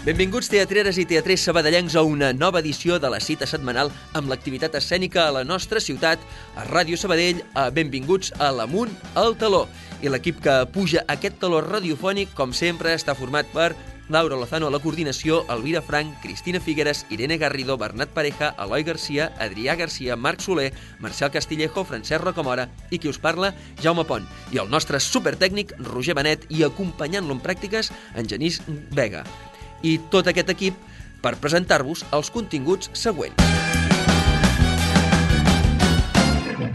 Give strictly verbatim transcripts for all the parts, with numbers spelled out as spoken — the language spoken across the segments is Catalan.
Benvinguts teatreres i teatrers sabadellencs a una nova edició de la cita setmanal amb l'activitat escènica a la nostra ciutat, a Ràdio Sabadell, a Benvinguts a l'Amunt al Taló. I l'equip que puja aquest taló radiofònic, com sempre, està format per Laura Lozano a la coordinació, Elvira Frank, Cristina Figueres, Irene Garrido, Bernat Pareja, Eloi Garcia, Adrià Garcia, Marc Soler, Marcel Castillejo, Francesc Rocamora i qui us parla, Jaume Pont. I el nostre supertècnic, Roger Benet, i acompanyant-lo en pràctiques, en Genís Vega. I tot aquest equip per presentar-vos els continguts següents.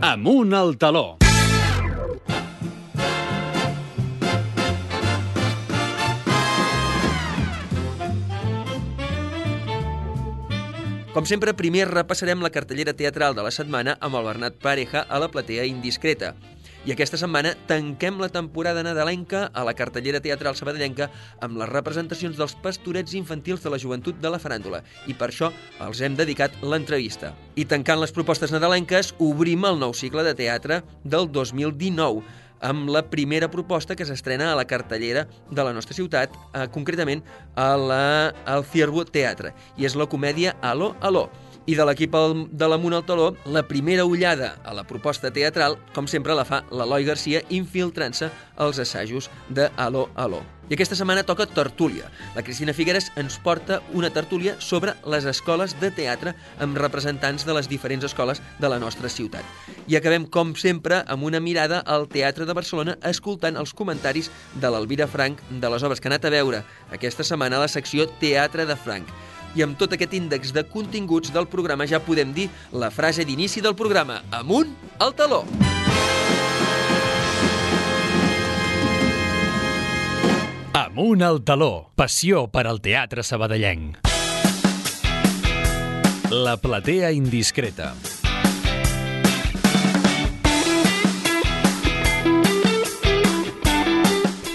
Amunt al Taló. Com sempre, primer repassarem la cartellera teatral de la setmana amb el Bernat Pareja a la platea indiscreta. I aquesta setmana tanquem la temporada nadalenca a la cartellera teatral sabadellenca amb les representacions dels pastorets infantils de la joventut de la faràndula. I per això els hem dedicat l'entrevista. I tancant les propostes nadalenques, obrim el nou cicle de teatre del dos mil dinou, amb la primera proposta que s'estrena a la cartellera de la nostra ciutat, eh, concretament a la, al Ciervo Teatre, i és la comèdia Aló, Aló. I de l'equip de l'Amunt al Taló, la primera ullada a la proposta teatral, com sempre, la fa l'Eloi Garcia infiltrant-se als assajos de Aló, Aló. I aquesta setmana toca tertúlia. La Cristina Figueres ens porta una tertúlia sobre les escoles de teatre amb representants de les diferents escoles de la nostra ciutat. I acabem, com sempre, amb una mirada al Teatre de Barcelona escoltant els comentaris de l'Elvira Frank de les obres que ha anat a veure aquesta setmana a la secció Teatre de Frank. I amb tot aquest índex de continguts del programa ja podem dir la frase d'inici del programa: Amunt al Taló! Amunt al Taló. Passió per al teatre sabadellenc. La platea indiscreta.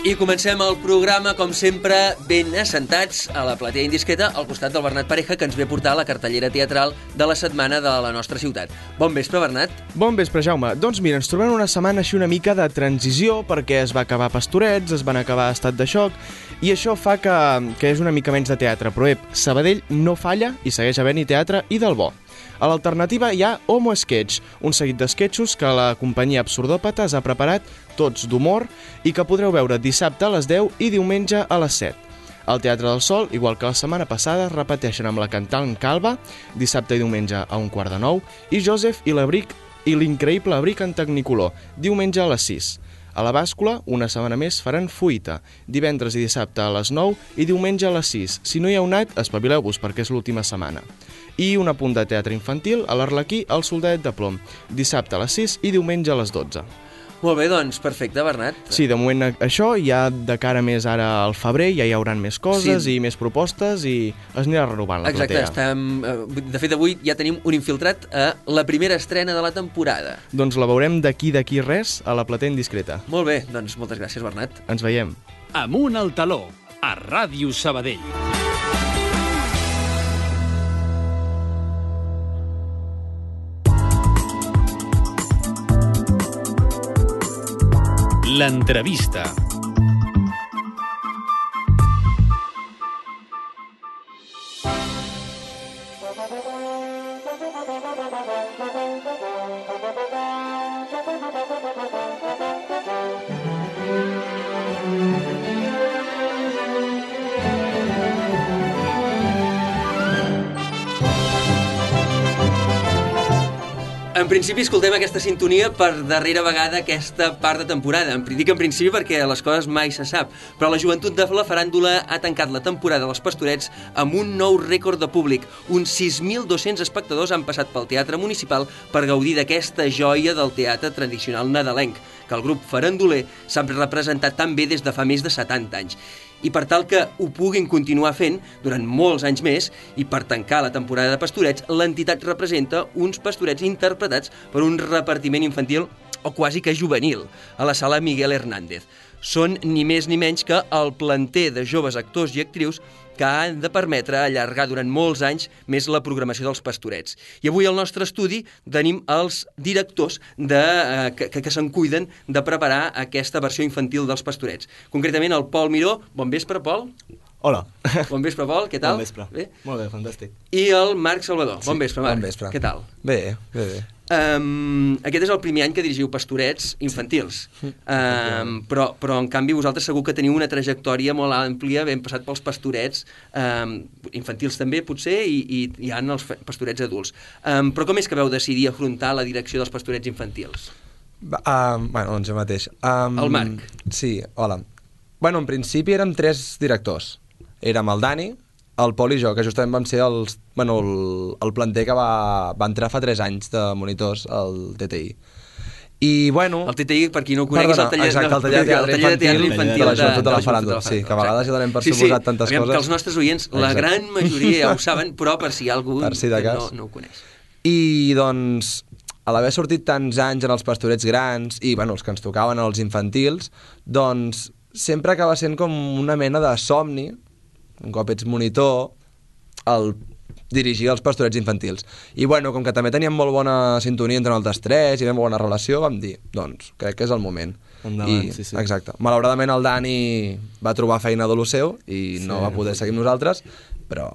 I comencem el programa, com sempre, ben assentats a la platea indiscreta al costat del Bernat Pareja, que ens ve a portar la cartellera teatral de la setmana de la nostra ciutat. Bon vespre, Bernat. Bon vespre, Jaume. Doncs mira, ens trobem una setmana així una mica de transició, perquè es va acabar Pastorets, es van acabar Estat de Xoc, i això fa que, que és una mica menys de teatre. Però ep, Sabadell no falla i segueix havent-hi teatre i del bo. A l'alternativa hi ha Homo Sketch, un seguit d'esquetxos que la companyia Absurdòpates ha preparat, tots d'humor, i que podreu veure dissabte a les deu i diumenge a les set. Al Teatre del Sol, igual que la setmana passada, repeteixen amb la cantant Calva, dissabte i diumenge a un quart de nou, i Joseph i l'abric i l'increïble abric en Tecnicolor, diumenge a les sis. A la Bàscula, una setmana més, faran Fuita, divendres i dissabte a les nou i diumenge a les sis. Si no hi heu anat, espavileu-vos perquè és l'última setmana. I un apunt de teatre infantil a l'Arlequí al Soldadet de Plom, dissabte a les sis i diumenge a les dotze. Molt bé, doncs, perfecte, Bernat. Sí, de moment això, ja de cara més ara al febrer, ja hi haurà més coses Sí. i més propostes i es anirà renovant la Exacte, platea. estem, eh, de fet avui ja tenim un infiltrat a la primera estrena de la temporada. Doncs la veurem d'aquí d'aquí res a la platea indiscreta. Molt bé, doncs moltes gràcies, Bernat. Ens veiem. Amunt al Taló. A Ràdio Sabadell. L'entrevista. En principi escoltem aquesta sintonia per darrera vegada aquesta part de temporada. Dic en principi perquè les coses mai se sap, però la joventut de la faràndula ha tancat la temporada dels Pastorets amb un nou rècord de públic. Uns sis mil dos-cents espectadors han passat pel Teatre Municipal per gaudir d'aquesta joia del teatre tradicional nadalenc, que el grup faranduler s'ha representat tan bé des de fa més de setanta anys. I per tal que ho puguin continuar fent durant molts anys més i per tancar la temporada de Pastorets, l'entitat representa uns pastorets interpretats per un repartiment infantil o quasi que juvenil a la sala Miguel Hernández. Són ni més ni menys que el planter de joves actors i actrius que han de permetre allargar durant molts anys més la programació dels Pastorets. I avui al nostre estudi tenim els directors de, eh, que, que se'n cuiden de preparar aquesta versió infantil dels Pastorets. Concretament el Pol Miró. Bon vespre, Pol. Hola. Bon vespre, Pol, què tal? Bon vespre. Bé? Molt bé, fantàstic. I el Marc Salvador. Bon vespre, Marc. Bon vespre. Què tal? Bé, bé, bé. Um, aquest és el primer any que dirigiu pastorets infantils, Sí. um, però, però en canvi vosaltres segur que teniu una trajectòria molt àmplia, ben passat pels pastorets um, infantils també potser, i, i hi ha els pastorets adults. Um, però com és que veu decidir afrontar la direcció dels pastorets infantils? Va, uh, bueno, doncs jo mateix. Um, El Marc. Sí, hola. Bueno, en principi érem tres directors. Érem el Dani, el Pol i jo, que justament vam ser els, bueno, el, el planter que va, va entrar fa tres anys de monitors al T T I. I, bueno... El T T I, per qui no ho conegui, és el taller, exacte, el taller de teatre, el taller de teatre infantil, infantil de la joventut de la Joventut Faràndula. Sí, que a vegades ja donem per suposat tantes sí, coses. Que els nostres oients, la Exacte. gran majoria ja ho saben, però per si hi ha algú Per si de que cas. no, no ho coneix. I, doncs, a l'haver sortit tants anys en els pastorets grans i, bueno, els que ens tocaven els infantils, doncs sempre acaba sent com una mena de somni, un cop ets monitor, el dirigir els pastorets infantils. I, bueno, com que també teníem molt bona sintonia entre nosaltres tres i vam bona relació, vam dir, doncs, crec que és el moment. Endavant, I, sí, sí. Exacte. Malauradament el Dani va trobar feina de lo seu i no Sí, va poder no. seguir amb nosaltres, però...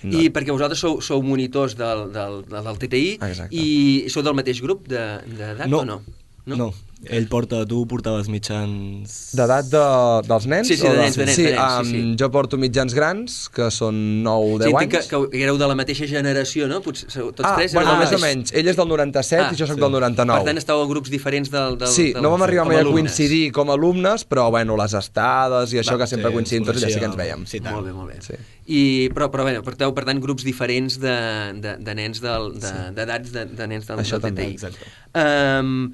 No. I perquè vosaltres sou, sou monitors del, del, del, del T T I Exacte. i sou del mateix grup d'edat No. o no? No? no. Ell porta, tu portaves mitjans... D'edat de, dels nens? Sí, sí, o de nens, de nens, sí, de nens, sí, um, sí. Jo porto mitjans grans, que són nou o Sí, deu entenc anys. que, que éreu de la mateixa generació, no? Potser, sou- tots ah, tres bueno, éreu més o del- menys. Ell és del noranta-set Ah, i jo sóc sí. del noranta-nou. Per tant, estàveu a grups diferents del... del Sí, del, no vam arribar com mai a alumnes. coincidir com a alumnes, però bueno, les estades i això Va, que sempre sí, coincidim ens tots, ja sí que coneixíem. ens veiem. Sí, tant. Molt bé, molt bé. Sí. I, però, però bé, porteu, per tant, grups diferents de, de, de nens del, de, d'edats de, de nens del, Això del també, T T I. exacte. Um,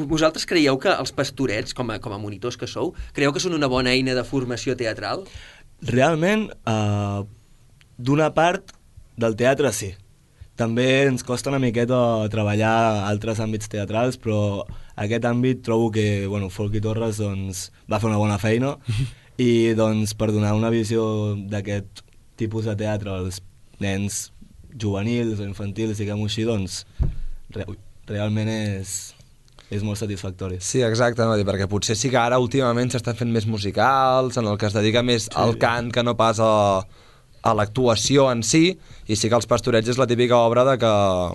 vosaltres creieu que els pastorets, com a, com a monitors que sou, creieu que són una bona eina de formació teatral? Realment, uh, d'una part del teatre sí. També ens costa una miqueta treballar altres àmbits teatrals, però aquest àmbit trobo que, bueno, Folky Torres doncs, va fer una bona feina i doncs, per donar una visió d'aquest tipus de teatre als nens juvenils o infantils, diguem-ho així, doncs re realment és, és molt satisfactori. Sí, exacte, no? Perquè potser sí que ara últimament s'estan fent més musicals, en el que es dedica més sí. al cant que no pas a, a l'actuació en si, i sí que els pastorets és la típica obra de que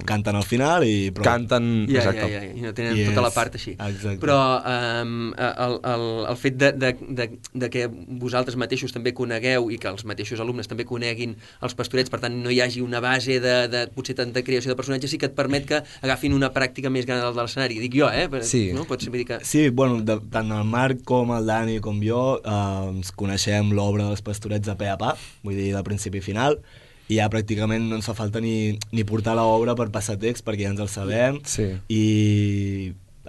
Canten al final i prou. canten... Ja, exacte. ja, ja, i no tenen I tota la és- part així. exacte. Però um, el, el, el fet de, de, de, de que vosaltres mateixos també conegueu i que els mateixos alumnes també coneguin els pastorets, per tant no hi hagi una base de, de potser tanta creació de personatges, sí que et permet que agafin una pràctica més gran del de l'escenari. Dic jo, eh? Per, Sí. No? Pots dir que... Sí, bueno, de, tant el Marc com el Dani com jo eh, ens coneixem l'obra dels pastorets de pe a pa, vull dir, de principi a final, i ja pràcticament no ens fa falta ni, ni portar l'obra per passar text, perquè ja ens el sabem, Sí. i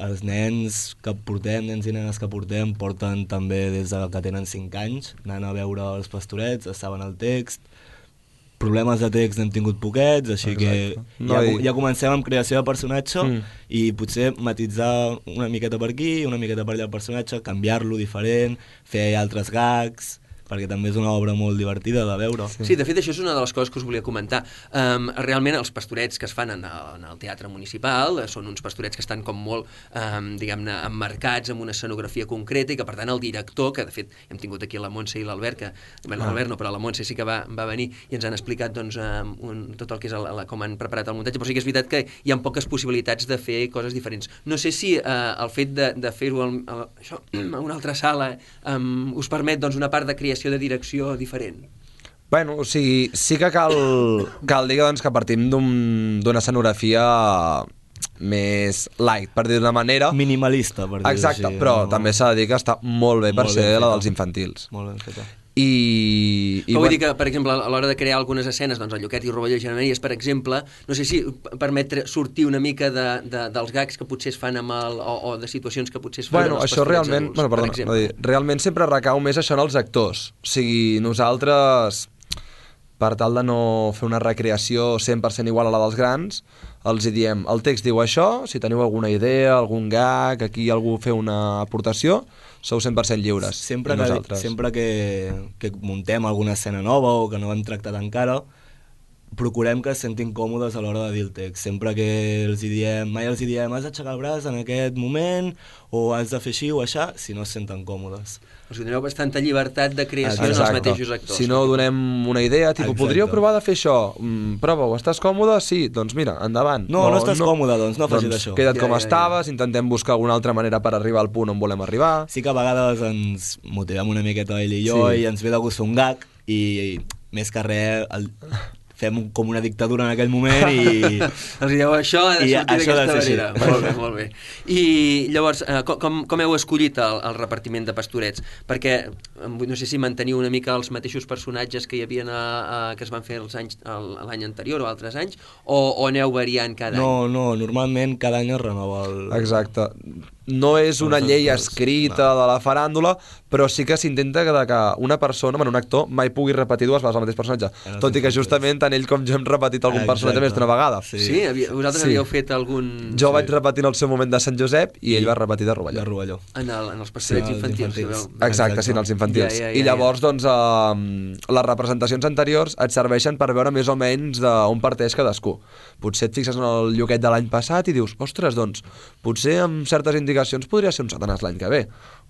els nens que portem, nens i nenes que portem, porten també des de que tenen cinc anys, anant a veure els pastorets, es saben el text, problemes de text n'hem tingut poquets, així Exacte. que No, ja, i- ja comencem amb creació de personatge Mm. i potser matitzar una miqueta per aquí, una miqueta per allà el personatge, canviar-lo diferent, fer altres gags, perquè també és una obra molt divertida de veure. Sí. sí, de fet, això és una de les coses que us volia comentar. Um, realment, els pastorets que es fan en el, en el teatre municipal eh, són uns pastorets que estan com molt, um, diguem-ne, emmarcats amb una escenografia concreta i que, per tant, el director, que de fet hem tingut aquí la Montse i l'Albert, que bé, l'Albert no, però la Montse sí que va, va venir i ens han explicat doncs, um, un, tot el que és el, la, com han preparat el muntatge, però sí que és veritat que hi ha poques possibilitats de fer coses diferents. No sé si uh, el fet de, de fer-ho al- al- això, a una altra sala um, us permet doncs, una part de creació de direcció diferent. Bueno, o sigui, sí que cal, cal dir que, doncs, que partim d'un- d'una escenografia més light, per dir d'una manera. Minimalista, per dir-ho Exacte, així. però no? també s'ha de dir que està molt bé per Molt ser ben la feta. dels infantils. Molt ben feta. I, i Però vull dir que, per exemple, a l'hora de crear algunes escenes, doncs el Lloquet i Rovelló i Germanies, per exemple, no sé si permet tre- sortir una mica de, de, dels gags que potser es fan amb el, o, o de situacions que potser es fan Bueno, amb els això pastorets realment, adults, bueno, per perdona, exemple. no dir, realment sempre recau més això en els actors. O sigui, nosaltres, per tal de no fer una recreació cent per cent igual a la dels grans, els hi diem, el text diu això, si teniu alguna idea, algun gag, aquí algú fer una aportació, sou cent per cent lliures. Sempre I que, nosaltres. sempre que, que muntem alguna escena nova o que no hem tractat encara, procurem que es sentin còmodes a l'hora de dir el text. Sempre que els hi diem, mai els hi diem has d'aixecar el braç en aquest moment o has de fer així o aixà, si no es senten còmodes. O sigui, doneu bastanta llibertat de creació en els Exacte. mateixos actors. Si no donem una idea, tipus, Exacte. podríeu provar de fer això, mm, prova-ho, estàs còmode? Sí, doncs mira, endavant. No, no estàs còmode, doncs no facis doncs això. Queda't Ja, com ja, ja. estaves, intentem buscar alguna altra manera per arribar al punt on volem arribar. Sí que a vegades ens motivem una miqueta ell i jo Sí. i ens ve de gust fer un gag i, i més que res el, fem un, com una dictadura en aquell moment i... Els dieu, això ha de I sortir això ha de d'aquesta ser manera. així. Molt bé, molt bé. I llavors, eh, com, com heu escollit el, el repartiment de pastorets? Perquè em vull- no sé si manteniu una mica els mateixos personatges que hi havia a, a, que es van fer els anys el- l'any anterior o altres anys, o, o aneu variant cada No, any? no, normalment cada any es renova el... Exacte. No és una Els llei actors, escrita de la faràndula, però sí que s'intenta que, que una persona, bueno, un actor, mai pugui repetir dues vegades el mateix personatge. En els Tot i que infantils. justament tant ell com jo hem repetit algun Exacte. personatge més d'una vegada. Sí. Sí? Havia, vosaltres Sí. havíeu fet algun... Jo vaig repetir en el seu moment de Sant Josep i ell va repetir de Rovelló. De Rovelló. En, el, en els pastorets Sí, els infantils. infantils. Sabeu? Exacte, sí, en els infantils. Ja, ja, ja, I llavors, doncs, eh, les representacions anteriors et serveixen per veure més o menys d'on parteix cadascú. Potser et fixes en el Lluquet de l'any passat i dius, ostres, doncs, potser amb certes indicacions podria ser un Satanàs l'any que ve.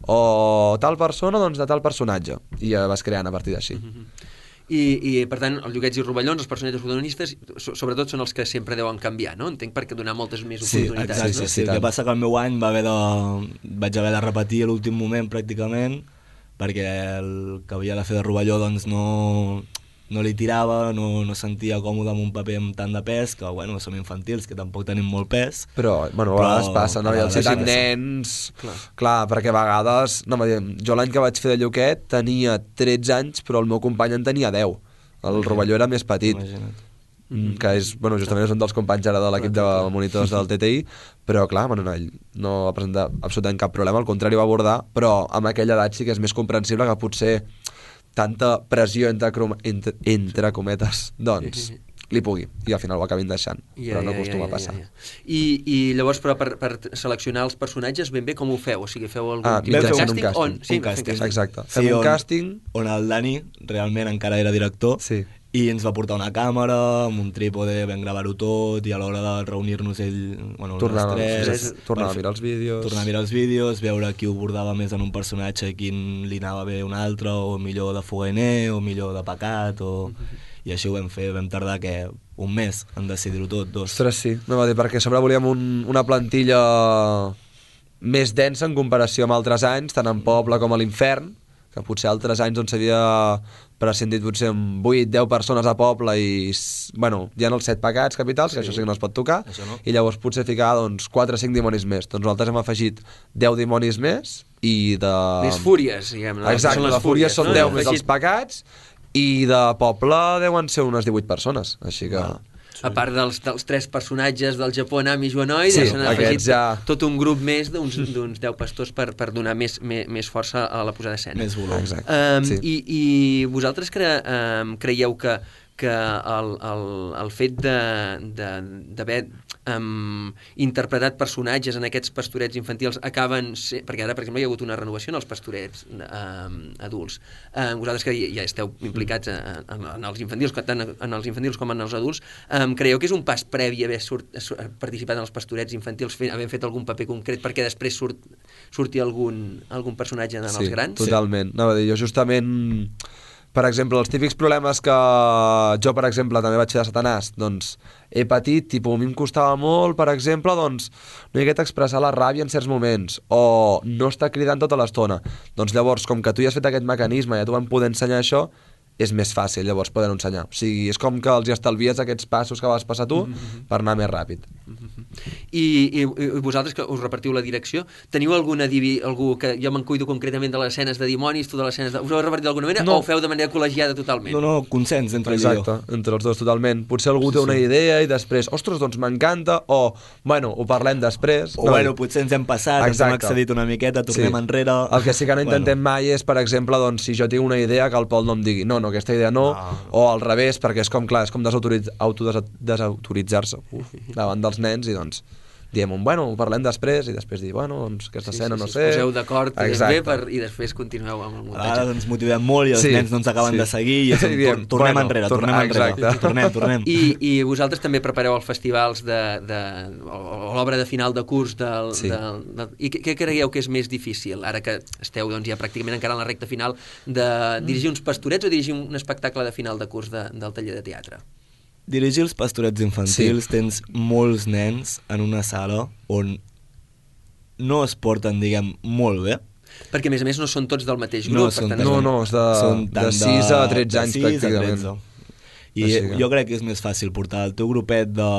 O tal persona, doncs, de tal personatge. I ja vas creant a partir d'així. I, I, per tant, els Lluquets i Rovellons, els personatges protagonistes, so, sobretot són els que sempre deuen canviar, no? Entenc, perquè donar moltes més Sí, oportunitats. exacte, no? sí, sí. El tant. que passa que el meu any va haver de... vaig haver de repetir a l'últim moment, pràcticament, perquè el que havia de fer de Rovelló doncs no, no li tirava, no, no sentia còmode amb un paper amb tant de pes, que bueno, som infantils, que tampoc tenim molt pes. Però, bueno, a Però vegades passa, no? a I els vegades citant passa. nens... Clar. Clar. clar, perquè a vegades... No, jo l'any que vaig fer de Lluquet tenia tretze anys, però el meu company en tenia deu. El Rovelló era més petit. Imagina't. Mm, que és, bueno, justament és un dels companys ara de l'equip de monitors del T T I, però clar, bueno, no, ell no va presentar absolutament cap problema, al contrari va abordar, però amb aquella edat sí que és més comprensible que potser tanta pressió entre, crom- entre, entre cometes, doncs, li pugui, i al final ho acabin deixant, Ja, però no ja, acostuma ja, a passar. Ja, ja. I, I llavors, però per, per seleccionar els personatges, ben bé com ho feu? O sigui, feu algun Ah, tipus de mitjançant càsting? un càsting. On? Sí, Un càsting. fem Exacte, Sí, fem un on- càsting, On el Dani realment encara era director, sí. i ens va portar una càmera amb un trípode, vam gravar-ho tot, i a l'hora de reunir-nos ell, bueno, Tornava, les tres, sí, tornava a per- mirar els vídeos. tornar a mirar els vídeos, veure qui ho bordava més en un personatge i quin li anava bé un altre, o millor de fogainer, o millor de pecat, o... i així ho vam fer, vam tardar que un mes en decidir-ho tot, dos. Ostres, sí, no va dir, perquè a sobre volíem un, una plantilla més densa en comparació amb altres anys, tant en Poble com a l'Infern, que potser altres anys on s'havia prescindit potser amb vuit deu persones a Poble i, s- bueno, hi ha els set pecats capitals, que Sí. això sí que no es pot tocar, Això no. i llavors potser ficar doncs, quatre o cinc dimonis més. Doncs nosaltres hem afegit deu dimonis més i de... Més fúries, diguem. No? Exacte, Són les de fúries són no? deu Heu més els afegit- pecats i de Poble deuen ser unes divuit persones, així que... A part dels, dels tres personatges del Japó, Nami i Joanoid, Sí, ja s'han afegit aquests ja- tot un grup més d'uns d'uns deu pastors per, per donar més, més, més força a la posada d'escena. Més volum. Exacte. Um, sí. i, I vosaltres cre, um, creieu que, que el, el, el fet d'haver um, interpretat personatges en aquests pastorets infantils acaben... Ser, perquè ara, per exemple, hi ha hagut una renovació en els pastorets um, adults. Um, vosaltres que ja esteu implicats en, en, en els infantils, tant en els infantils com en els adults, um, creieu que és un pas previ haver surt, participat en els pastorets infantils, fent, havent fet algun paper concret perquè després surt, surti algun, algun personatge en Sí, els grans? totalment. No, dir, jo justament, per exemple, els típics problemes que jo, per exemple, també vaig fer de Satanàs, doncs he patit, tipus, a mi em costava molt, per exemple, doncs, no hi hagués expressar la ràbia en certs moments, o no estar cridant tota l'estona. Doncs llavors, com que tu ja has fet aquest mecanisme i ja t'ho vam poder ensenyar això, és més fàcil llavors poder-ho ensenyar. O sigui, és com que els hi estalvies aquests passos que vas passar tu mm-hmm. per anar més ràpid. I, i, I vosaltres que us repartiu la direcció, teniu alguna divi, algú que jo me'n cuido concretament de les escenes de dimonis, tu de les escenes de... Us ho heu repartit d'alguna manera No. o ho feu de manera col·legiada totalment? No, no, consens entre ell i jo. Exacte, entre els dos totalment. Potser algú té una idea i després, ostres, doncs m'encanta, o, bueno, ho parlem després. O bueno, potser ens hem passat, ens hem Exacte. excedit una miqueta, tornem Sí. enrere... El que sí que no intentem bueno. mai és, per exemple, doncs, si jo tinc una idea, que el Pol no em digui no, no, aquesta idea no, No. o al revés, perquè és com, clar, és com desautoritz- autodesa- desautoritzar-se uf, davant dels nens i doncs diem un, bueno, ho parlem després, i després dir, bueno, doncs aquesta Sí, escena sí, no sí, sé... us poseu d'acord bé Exacte. per, i després continueu amb el A muntatge. vegades ens motivem molt i els Sí, nens no ens acaben sí. de seguir i és I un, diem, tor tornem bueno, enrere, torna- tornem enrere. exacte. Tornem, tornem. I, I vosaltres també prepareu els festivals de, de, o, o l'obra de final de curs del, Sí. del, del, i què, què creieu que és més difícil ara que esteu doncs, ja pràcticament encara en la recta final de dirigir uns pastorets o dirigir un espectacle de final de curs de, del taller de teatre? Dirigir els pastorets infantils, sí. Tens molts nens en una sala on no es porten, diguem, molt bé. Perquè a més a més no són tots del mateix grup. No, per són tant, no, no, és de, són de tant sis a tretze anys de sis a pràcticament. tretze. I Així que- jo crec que és més fàcil portar el teu grupet de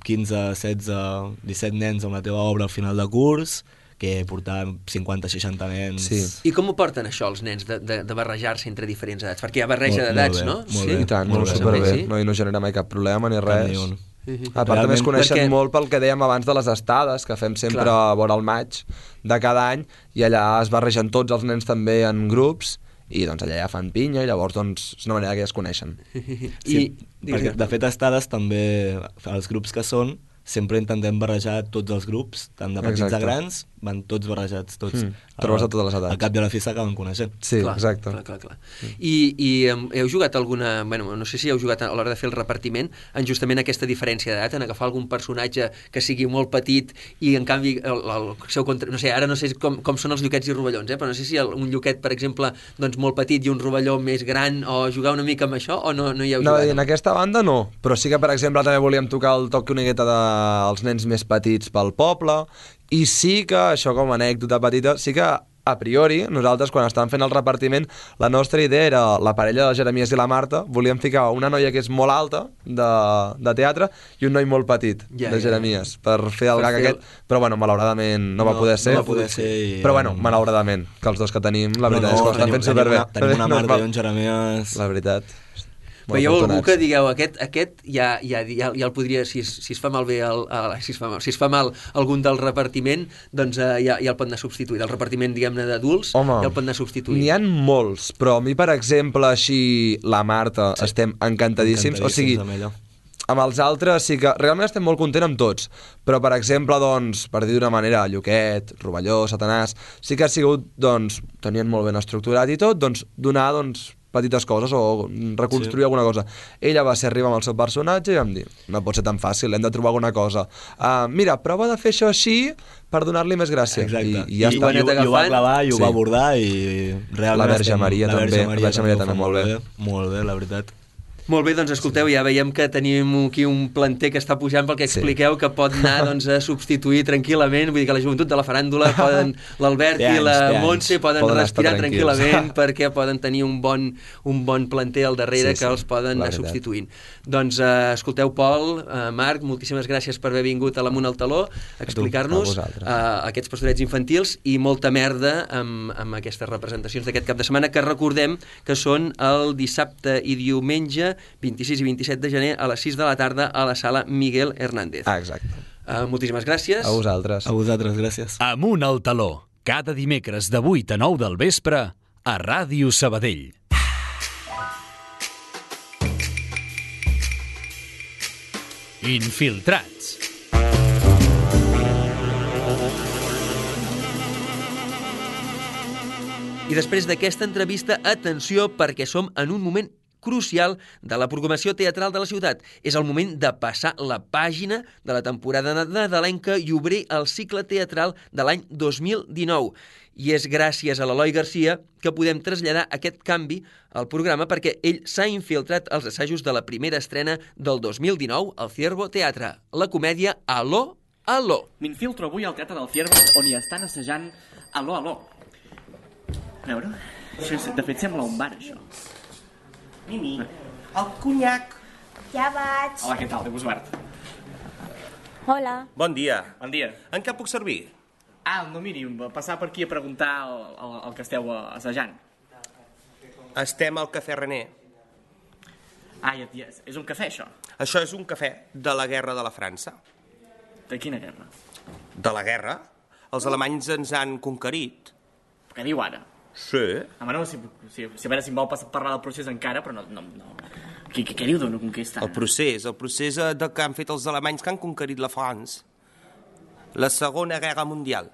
quinze, setze, disset nens amb la teva obra al final de curs que portar cinquanta, seixanta nens. Sí. I com ho porten això els nens de, de, de barrejar-se entre diferents edats? Perquè hi ha barreja Molt- d'edats, molt bé, no? molt sí? bé. I tant, Molt molt bé. superbé. Sí? No, i no genera mai cap problema ni Cap res. ni un. A part, també es coneixen Perquè- molt pel que dèiem abans de les estades, que fem sempre Clar. a vora el maig de cada any, i allà es barregen tots els nens també en grups, i doncs allà ja fan pinya, i llavors doncs, és una manera que ja es coneixen. I, Sí, digues, perquè de fet estades també, els grups que són, sempre intentem barrejar tots els grups, tant de petits Exacte. a grans, van tots barrejats, tots. Mm, trobes de totes les edats. Al cap de la fi s'acaben coneixent. Sí, clar, exacte. Clar, clar, clar. I, i um, heu jugat alguna... Bueno, no sé si heu jugat a l'hora de fer el repartiment en justament aquesta diferència d'edat, en agafar algun personatge que sigui molt petit i en canvi el, el seu contra... No sé, ara no sé com, com són els lluquets i rovellons, eh? Però no sé si el, un lluquet, per exemple, doncs molt petit i un rovelló més gran, o jugar una mica amb això, o no, no hi heu No, jugat? en aquesta banda no, però sí que, per exemple, també volíem tocar el toc una miqueta dels nens més petits pel poble, i sí que, això com a anècdota petita, sí que a priori, nosaltres quan estàvem fent el repartiment, la nostra idea era la parella de Jeremies i la Marta, volíem ficar una noia que és molt alta de, de teatre i un noi molt petit Ja, de ja, Jeremies, per fer el Per gag fer el- aquest, però bueno, malauradament no, va No, poder ser, no va poder ser i- però bueno, malauradament, que els dos que tenim, la veritat és que ho estan tenim, fent superbé. Tenim una, tenim una No, Marta va- i un Jeremies... La veritat. Molt Veieu algú afortunats. que digueu, aquest, aquest ja, ja, ja, ja el podria, si es, si es fa malbé el, el, si, es fa mal, si es fa mal algun del repartiment, doncs eh, ja, ja el pot anar substituint. El repartiment, diguem-ne, d'adults, ja el pot anar substituint. N'hi ha molts, però a mi, per exemple, així, la Marta, sí. estem encantadíssims. O sigui, amb ella. amb els altres sí que realment estem molt contents amb tots, però per exemple, doncs, per dir d'una manera, Lluquet, Rovelló, Satanàs, sí que ha sigut, doncs, tenien molt ben estructurat i tot, doncs, donar, doncs, petites coses o reconstruir sí. alguna cosa. Ella va ser arribar amb el seu personatge i vam dir, no pot ser tan fàcil, hem de trobar alguna cosa. Uh, mira, prova de fer això així per donar-li més gràcia. Exacte. I, i ja I, està. i, i, ho va clavar i ho Sí. va abordar i realment... La Verge estem- Maria la també, Verge Maria la Verge Maria ho fa també molt bé. Molt bé, la veritat. Molt bé, doncs escolteu, ja veiem que tenim aquí un planter que està pujant pel que Sí. expliqueu, que pot anar doncs, a substituir tranquil·lament, vull dir que la joventut de la faràndula poden, l'Albert Té i anys, la té anys. Montse poden, Poden respirar estar tranquils. tranquil·lament perquè poden tenir un bon, un bon planter al darrere Sí, sí, que els poden la anar veritat. substituint. Doncs eh, escolteu, Pol, eh, Marc, moltíssimes gràcies per haver vingut a l'Amunt al Taló a explicar-nos a vosaltres. eh, aquests pastorets infantils i molta merda amb, amb aquestes representacions d'aquest cap de setmana, que recordem que són el dissabte i diumenge vint-i-sis i vint-i-set de gener a les sis de la tarda a la sala Miguel Hernández. Ah, exacte. Uh, moltíssimes gràcies. A vosaltres. A vosaltres, gràcies. Amunt al taló, cada dimecres de vuit a nou del vespre a Ràdio Sabadell. Infiltrats. I després d'aquesta entrevista, atenció, perquè som en un moment crucial de la programació teatral de la ciutat. És el moment de passar la pàgina de la temporada nadalenca i obrir el cicle teatral de l'any dos mil dinou. I és gràcies a l'Eloi Garcia que podem traslladar aquest canvi al programa, perquè ell s'ha infiltrat als assajos de la primera estrena del dos mil dinou al Ciervo Teatre, la comèdia Aló, Aló. M'infiltro avui al Teatre del Ciervo, on hi estan assajant Aló, Aló. A veure, això, és- de fet sembla un bar, això. Mimi, el conyac. Ja vaig. Hola, què tal? Déu vos guard. Hola. Bon dia. Bon dia. En què puc servir? Ah, no, miri, va passar per aquí a preguntar el, el, el que esteu eh, assajant. Estem al Cafè René. Ah, ja, ja, és un cafè, això? Això és un cafè de la guerra de la França. De quina guerra? De la guerra? Els alemanys ens han conquerit. Què diu ara? Sí. Home, no, si, si, si a veure si em vol pas- parlar del procés encara, però no... no, no. Què, què, què diu d'una conquesta? El procés, el procés eh, de que han fet els alemanys que han conquerit la France. La Segona Guerra Mundial.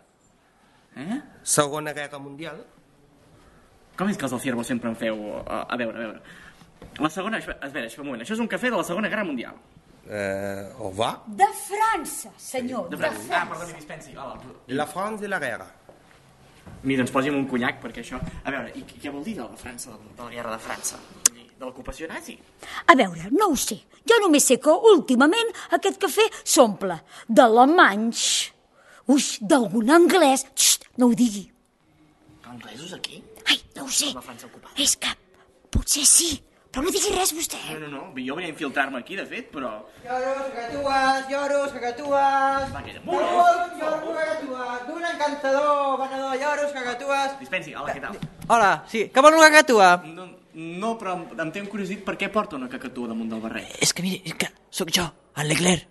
Eh? Segona Guerra Mundial. Com és que els del Ciervo sempre en feu... A, a veure, a veure... La segona... Espera, espera, un moment. Això és un cafè de la Segona Guerra Mundial. Eh, au revoir. De França, senyor, De de França. França. Ah, perdoni, dispensi. Hola. La France et la guerra. Mira, ens posi'm un conyac, perquè això... A veure, i què vol dir de la França, de la guerra de França? De l'ocupació nazi? A veure, no ho sé. Jo només sé que últimament aquest cafè s'omple d'alemanys, uix, d'algun anglès... Xxt, no ho digui. Anglesos aquí? Ai, no ho sé. La França ocupada. És que potser sí, però no digui res vostè. No, no, no, jo venia a infiltrar-me aquí, de fet, però... Lloros, cacatues, lloros, cacatues. Va, aquella... Lloros, lloros, cacatues. D'un encantador venedor, lloros, cacatues. Dispensi, hola, què tal? Hola, sí, que vol una cacatua? No, no, però em, em té curiositat per què porta una cacatua damunt del barret. És que miri, és que sóc jo, en Leclerc.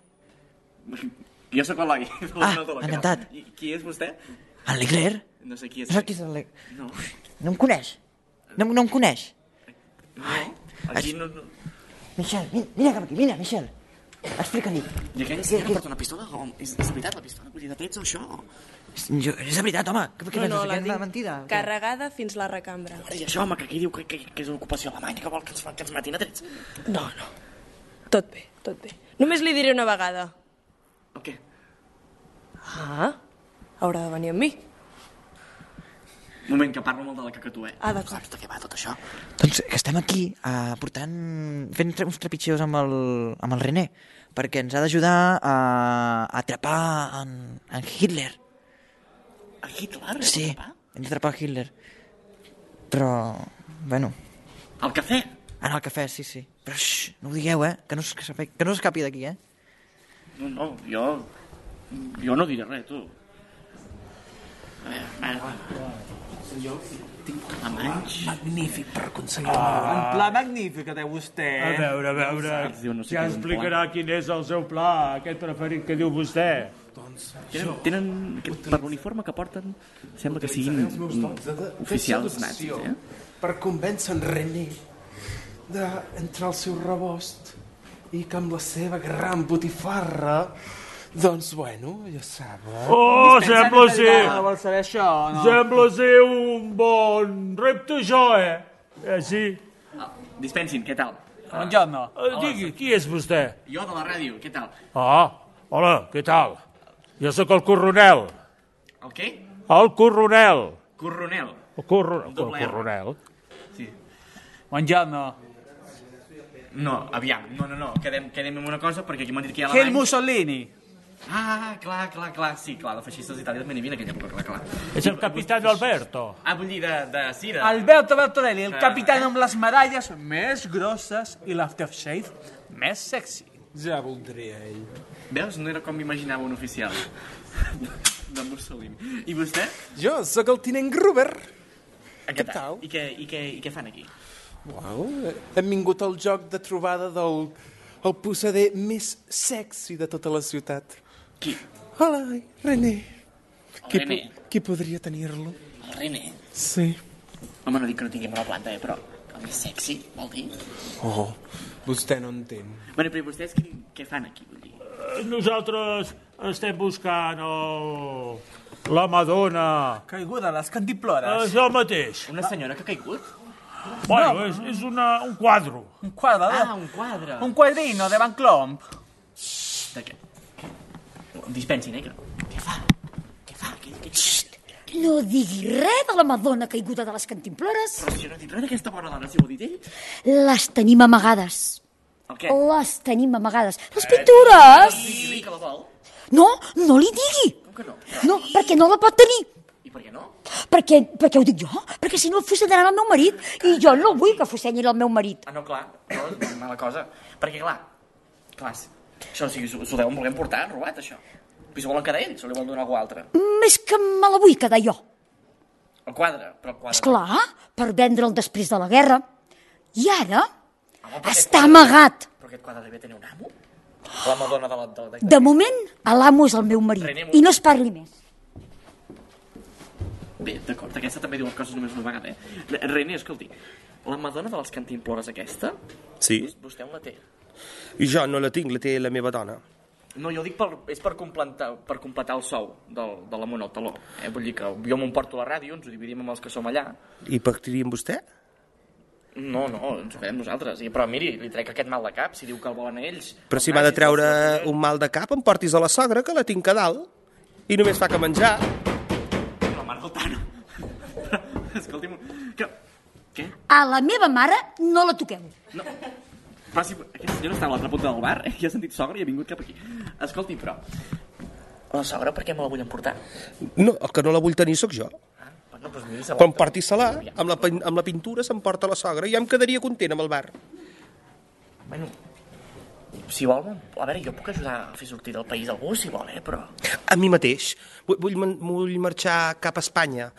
Jo sóc l'Eloi. Ah, encantat. I qui és vostè? En Leclerc? No sé qui és. No saps qui és en Leclerc? No. No em coneix? No, no em coneix? No, aquí no... no. Michel, vine, vine cap aquí, vine, Michel. Explica-li. I aquell senyor que porta una pistola? Com? És, és veritat, la pistola? Vull dir, de trets o això? Jo, és de veritat, home. Què, què No, no, penses? la Que és una tinc mentida? carregada fins la recambra. I això, home, que aquí diu que, que, que és una ocupació alemanya, que vol que ens, que ens matin a trets. No, no. Tot bé, tot bé. Només li diré una vegada. El què? Ah, haurà de venir amb mi. Un moment, que parlo molt de la cacatua, eh? Ah, d'acord. Saps de què va tot això? Doncs que estem aquí uh, portant... fent tre- uns trepitgeus amb el, amb el René, perquè ens ha d'ajudar a, a atrapar en, en Hitler. A Hitler? Sí, hem d'atrapar Hitler. Però, bueno... Al cafè? En el cafè, sí, sí. Però, xx, no ho digueu, eh? Que no s'escapi, que no s'escapi d'aquí, eh? No, no, jo... Jo no diré res, tu. Eh, va. Jo tinc alemanys. Magnífic per aconseguir Ah. un pla magnífic que té vostè. A veure, a veure, no sé ja què és un explicarà quin és el seu pla, aquest preferit que diu vostè. Tenen, tenen aquest, per l'uniforme que porten, sembla que siguin oficials nazis, eh? Per convèncer en René d'entrar al seu rebost i que amb la seva gran botifarra, doncs, bueno, ja sap. Eh? Oh, sembla ser... Vol saber això, no? Sembla ser un bon repte, això, eh? Eh, sí. Ah, dispensin, què tal? Buongiorno. Eh, digui, qui és vostè? Jo de la ràdio, què tal? Ah, hola, què tal? Jo sóc el coronel. El què? El coronel. Coronel. El, corro... el Doble R. coronel. Sí. Buongiorno. No, aviam, no, no, no, quedem, quedem en una cosa, perquè aquí m'han dit que hi ha Che il alemanys... Mussolini. Ah, clar, clar, clar, sí, clar, de feixistes d'Itàlia també n'hi havia en aquella època, clar, clar. És el capitán Alberto. Ah, vull dir, de, de sí, de... Alberto Bertorelli, el Ah. capitán amb les medalles més grosses i l'aftershave més sexy. Ja voldria ell. Veus? No era com m'imaginava un oficial de Mussolini. I vostè? Jo sóc el tinent Gruber. Què tal? I què, i què, i què fan aquí? Uau, hem vingut al joc de trobada del el possader més sexy de tota la ciutat. Qui? Hola, René. El Qui, René? po- qui podria tenir-lo? El René? Sí. Home, no dic que no tingui bona planta, eh, però el més sexy, vol dir? Oh, vostè no entén. Bueno, però i vostès què, què fan aquí, vull dir? Eh, Nosaltres estem buscant el... la Madonna. Caiguda a les cantimplores. És el mateix. Una senyora que ha caigut? Bueno, No. és, és una, un quadro. Un quadre, Ah, un quadre. un quadrino de Van Clomp. De què? Dispensin, eh? que- Què fa? Què fa? Què, què, què? No digui res de la Madonna caiguda de les cantimplores. Però si jo no he dit res d'aquesta bona dona, si ho ha dit ell. Les tenim amagades. El què? Les tenim amagades. Les pintures! Digui-li que la vol. No, no li digui. Com que no? No, perquè no la pot tenir. I per què no? Perquè, perquè ho dic jo? Perquè si no fusellaran el meu marit. I jo no vull que fusenyin el meu marit. Ah, no, clar. No, és mala cosa. Perquè, clar, clar, això, o sigui, s'ho s'ho deuen voler emportar, robat, això. I s'ho volen quedar ells, o li volen donar a algú altre? Més que me la vull quedar jo. El quadre, però el quadre... Esclar, per vendre'l després de la guerra. I ara Home, però aquest està quadre- amagat. Però aquest quadre devia tenir un amo? La Madonna de la... De, de, De moment, l'amo és el meu marit. René, I no es parli més. Bé, d'acord, aquesta també diu les coses només una vegada, eh? René, escolti, la Madonna de les cantimplores aquesta, Sí. vostè on la té? I jo no la tinc, la té la meva dona. No, jo dic per, és per completar, per completar el sou del, de la monotaló. Eh? Vull dir que jo m'emporto la ràdio, ens ho dividim amb els que som allà. I pactaria amb vostè? No, no, ens ho fem nosaltres. I, però miri, li trec aquest mal de cap, si diu que el volen a ells. Però si m'ha de treure un mal de cap, em portis a la sogra, que la tinc a dalt. I només fa que menjar. La mare del Tano. Escolti'm, que... Què? A la meva mare no la toqueu. No. Però si aquesta senyora està a l'altra punta del bar, eh? I ha sentit sogra i ha vingut cap aquí. Escolti, però... La sogra per què me la vull emportar? No, el que no la vull tenir sóc jo. Ah, bueno, doncs miri, se Quan porti-se-la, amb, la, amb la pintura s'emporta la sogra i ja em quedaria content amb el bar. Bueno, si vol, a veure, jo puc ajudar a fer sortir del país algú, si vol, eh, però... A mi mateix. Vull, vull, vull marxar cap a Espanya.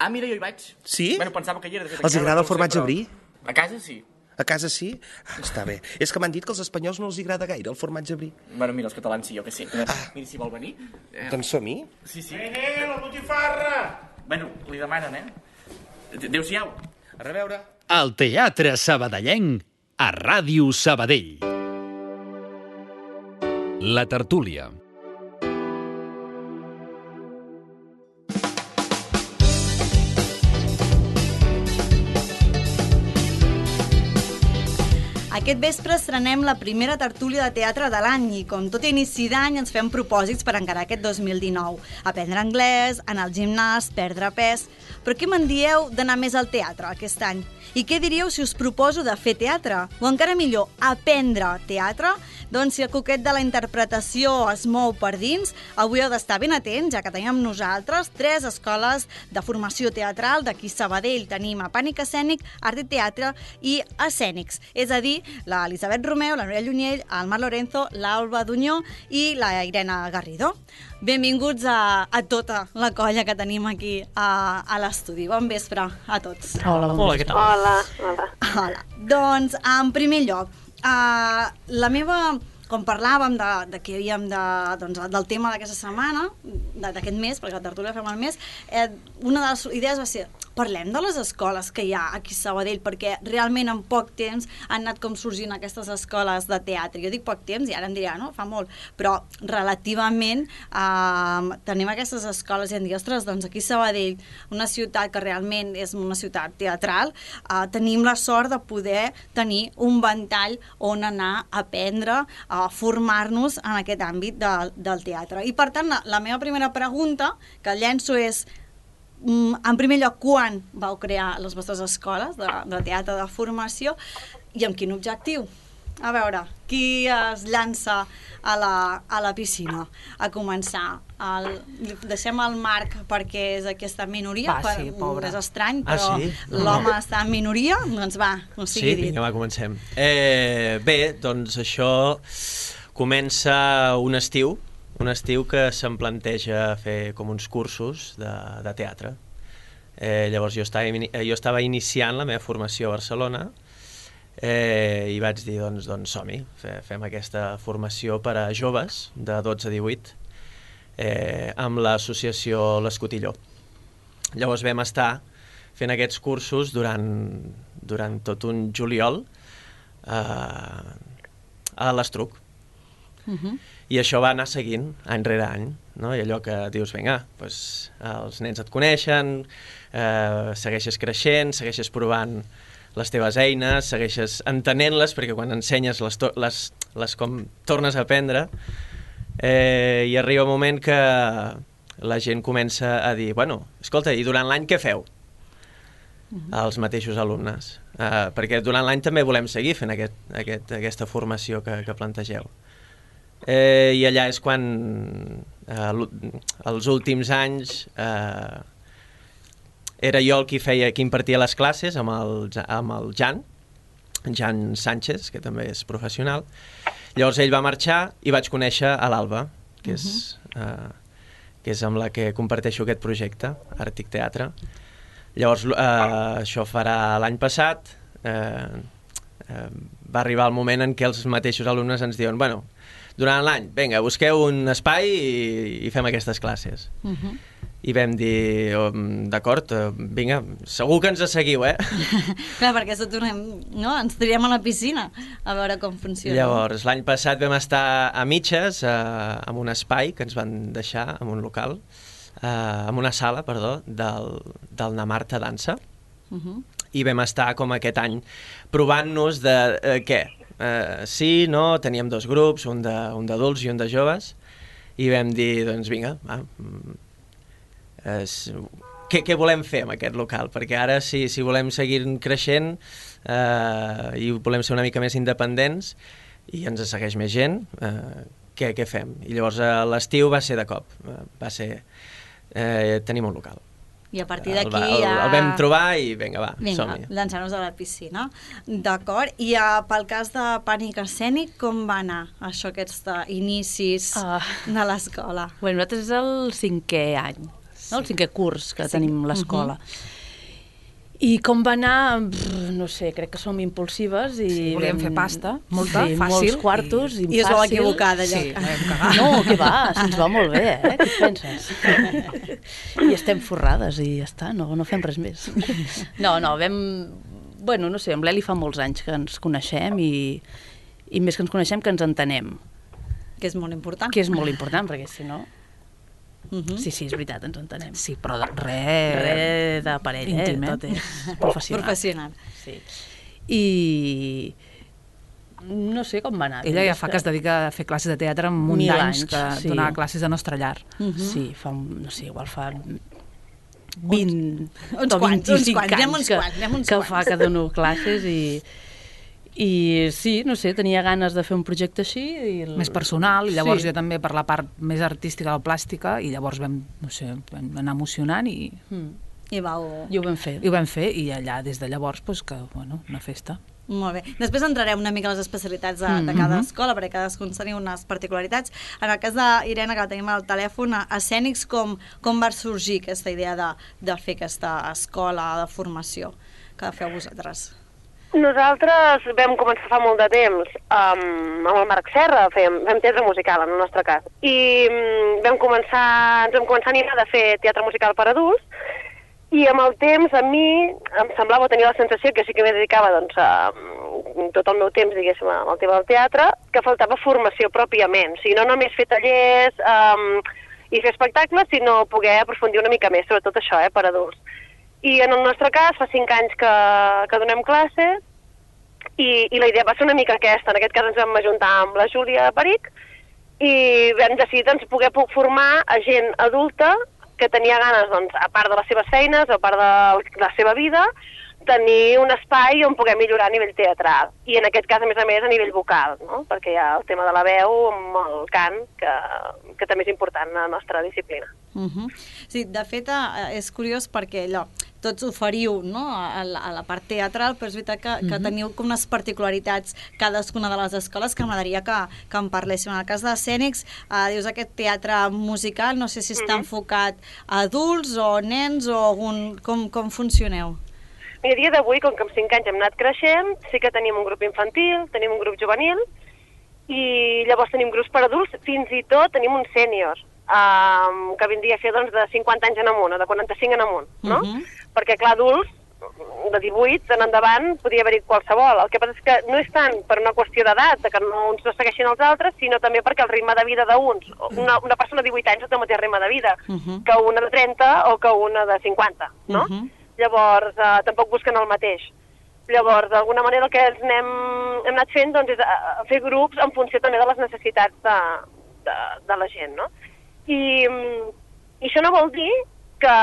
Ah, mira, jo hi vaig. Sí? Bueno, pensava que hi era. De fet, Els agrada el formatge brie? A casa sí. A casa sí? Ah, està bé. És que m'han dit que als espanyols no els agrada gaire el formatge brie. Bueno, mira, els catalans sí, jo que sé. Ah. Mira, si vol venir... Eh... Doncs som-hi. Sí, sí. Nene, la botifarra! Bueno, li demanen, eh? Adéu-siau. A reveure. El Teatre Sabadellenc a Ràdio Sabadell. La tertúlia. Aquest vespre estrenem la primera tertúlia de teatre de l'any i, com tot inici d'any, ens fem propòsits per encarar aquest dos mil dinou. Aprendre anglès, anar al gimnàs, perdre pes... Però què me'n dieu d'anar més al teatre aquest any? I què diríeu si us proposo de fer teatre? O encara millor, aprendre teatre? Doncs si el coquet de la interpretació es mou per dins, avui heu d'estar ben atents, ja que tenim amb nosaltres tres escoles de formació teatral. D'aquí Sabadell tenim a Pànic Escènic, Art i Teatre i Escènics. És a dir, l'Elisabet Romeu, la Núria Llunyell, el Marc Lorenzo, l'Alba Dunyó i la Irene Garrido. Benvinguts a, a tota la colla que tenim aquí a, a l'estudi. Bon vespre a tots. Hola, bon Hola, què tal? Hola, hola. Hola. Doncs, en primer lloc, uh, la meva... Com parlàvem de, de que havíem de, doncs, del tema d'aquesta setmana, d'aquest mes, perquè la tertúlia fem el mes, eh, una de les idees va ser parlem de les escoles que hi ha aquí a Sabadell, perquè realment en poc temps han anat com sorgint aquestes escoles de teatre. Jo dic poc temps i ara em dirà, no? Fa molt. Però relativament eh, tenim aquestes escoles i em dic, ostres, doncs aquí a Sabadell, una ciutat que realment és una ciutat teatral, eh, tenim la sort de poder tenir un ventall on anar a aprendre, a formar-nos en aquest àmbit de, del teatre. I per tant, la, la meva primera pregunta que llenço és, en primer lloc, quan vau crear les vostres escoles de, de teatre de formació i amb quin objectiu? A veure, qui es llança a la, a la piscina a començar? El, deixem el Marc perquè és aquesta minoria, va, sí, per, és estrany, però ah, sí? l'home no. està en minoria, doncs va, no sigui sí, dit. Vinga, va, comencem. Eh, bé, doncs això comença un estiu, un estiu que se'm planteja fer com uns cursos de, de teatre. Eh, llavors jo estava, jo estava iniciant la meva formació a Barcelona eh, i vaig dir, doncs, doncs som-hi, fem aquesta formació per a joves de dotze a divuit eh, amb l'associació l'Escotilló. Llavors vam estar fent aquests cursos durant, durant tot un juliol eh, a l'Estruc. Uh-huh. I això va anar seguint any rere any, no? I allò que dius, vinga, doncs, els nens et coneixen, eh, segueixes creixent, segueixes provant les teves eines, segueixes entenent-les, perquè quan ensenyes les, les, les com tornes a aprendre, eh, i arriba un moment que la gent comença a dir, bueno, escolta, i durant l'any què feu? Uh-huh. Els mateixos alumnes, eh, perquè durant l'any també volem seguir fent aquest, aquest, aquesta formació que, que plantegeu. Eh, I allà és quan, eh, els últims anys, eh, era jo el qui feia, qui impartia les classes amb el, amb el Jan, Jan Sánchez, que també és professional. Llavors ell va marxar i vaig conèixer a l'Alba, que, uh-huh. és, eh, que és amb la que comparteixo aquest projecte, Àrtic Teatre. Llavors eh, això farà l'any passat, eh, eh, va arribar el moment en què els mateixos alumnes ens diuen, bueno, durant l'any, vinga, busqueu un espai i, i fem aquestes classes. Uh-huh. i vam dir, oh, d'acord, vinga, segur que ens seguiu, eh? Clar, perquè això tornem, no? Ens tirem a la piscina a veure com funciona. Llavors, l'any passat vam estar a mitges, eh, en un espai que ens van deixar, en un local, eh, en una sala, perdó, del, del Namarta Dansa, Uh -huh. i vam estar com aquest any provant-nos de eh, què? Eh, sí, no, teníem dos grups, un d'adults i un de joves, i vam dir, doncs vinga, va, Es, què, què volem fer amb aquest local? Perquè ara, si, si volem seguir creixent eh, i volem ser una mica més independents i ens segueix més gent, eh, què, què fem? I llavors a l'estiu va ser de cop, eh, va ser... Eh, tenim un local. I a partir d'aquí el, el, ja... el vam trobar i vinga, va, vinga, som-hi. llançar-nos a la piscina. D'acord. I uh, pel cas de Pànic Escènic, com va anar això, aquests uh, inicis uh. de l'escola? Bueno, nosaltres és el cinquè any. No? El cinquè curs que sí. tenim l'escola. Uh-huh. I com va anar, no sé, crec que som impulsives i... Sí, volíem fer pasta, molta, sí, fàcil. Molts quartos i, i és molt equivocada, allò. Sí, vam cagar. No, què va, se'ns va molt bé, eh? Què et penses? I estem forrades i ja està, no, no fem res més. No, no, vam... Bueno, no sé, amb l'Eli fa molts anys que ens coneixem i, i més que ens coneixem que ens entenem. Que és molt important. Que és molt important, perquè si no... Uh -huh. Sí, sí, és veritat, ens entenem. Sí, però de, re... Re de parella, íntim, eh? eh? Tot és professional. Professional. Sí. I... no sé com va anar. Ella ja fa que es dedica a fer classes de teatre amb un d'anys que sí. donava classes a Nostra Llar. Uh -huh. Sí, fa, no sé, igual fa vint uns o quants, vint-i-cinc uns quants, anys uns que, quants, uns que quants. fa que dono classes i... I sí, no sé, tenia ganes de fer un projecte així. I el... Més personal, i llavors sí. jo també per la part més artística de la plàstica, i llavors vam, no sé, vam anar emocionant i... Mm. I, vau... I ho vam fer. I ho vam fer, i allà, des de llavors, pues, que, bueno, una festa. Molt bé. Després entrarem una mica a les especialitats de, de cada escola, perquè cadascun tenia unes particularitats. En el cas d'Irene, que la tenim al telèfon, a Escènics, com, com va sorgir aquesta idea de, de fer aquesta escola de formació que feu vosaltres? Nosaltres vam començar fa molt de temps um, amb el Marc Serra, fèiem, fem teatre musical en el nostre cas, i um, vam començar, ens vam començar a animar de fer teatre musical per adults, i amb el temps a mi em semblava tenir la sensació que sí que m'hi dedicava doncs, a, tot el meu temps, diguéssim, al tema del teatre, que faltava formació pròpiament, o sigui, no només fer tallers um, i fer espectacles, sinó poder aprofundir una mica més, sobretot això, eh, per adults. I en el nostre cas, fa cinc anys que, que donem classes, i, i la idea va ser una mica aquesta. En aquest cas ens vam ajuntar amb la Júlia Peric i vam decidir doncs, poder formar a gent adulta que tenia ganes, doncs, a part de les seves feines, a part de la seva vida, tenir un espai on poder millorar a nivell teatral. I en aquest cas, a més a més, a nivell vocal, no? Perquè hi ha el tema de la veu amb el cant, que, que també és important a la nostra disciplina. Uh -huh. Sí, de fet, és curiós perquè allò, tots oferiu, no?, a la, a la part teatral, però és veritat que, que uh -huh. teniu com unes particularitats cadascuna de les escoles que m'agradaria que, que en parléssim. En el cas d'Escènics, eh, dius aquest teatre musical, no sé si està uh -huh. enfocat a adults o nens o algun, com, com funcioneu? I a dia d'avui, com que en cinc anys hem anat creixent, sí que tenim un grup infantil, tenim un grup juvenil, i llavors tenim grups per adults, fins i tot tenim un sènior, um, que vindria a fer doncs, de cinquanta anys en amunt, o de quaranta-cinc en amunt, no? Uh-huh. Perquè, clar, adults, de divuit en endavant, podria haver-hi qualsevol. El que passa és que no és tant per una qüestió d'edat, que no uns no segueixin els altres, sinó també perquè el ritme de vida d'uns, una, una persona de divuit anys no té el mateix ritme de vida uh-huh. que una de trenta o que una de cinquanta, no? Uh-huh. Llavors, eh, tampoc busquen el mateix. Llavors, d'alguna manera el que ens anem, hem anat fent doncs, és a, a fer grups en funció també de les necessitats de, de, de la gent, no? I, I això no vol dir que,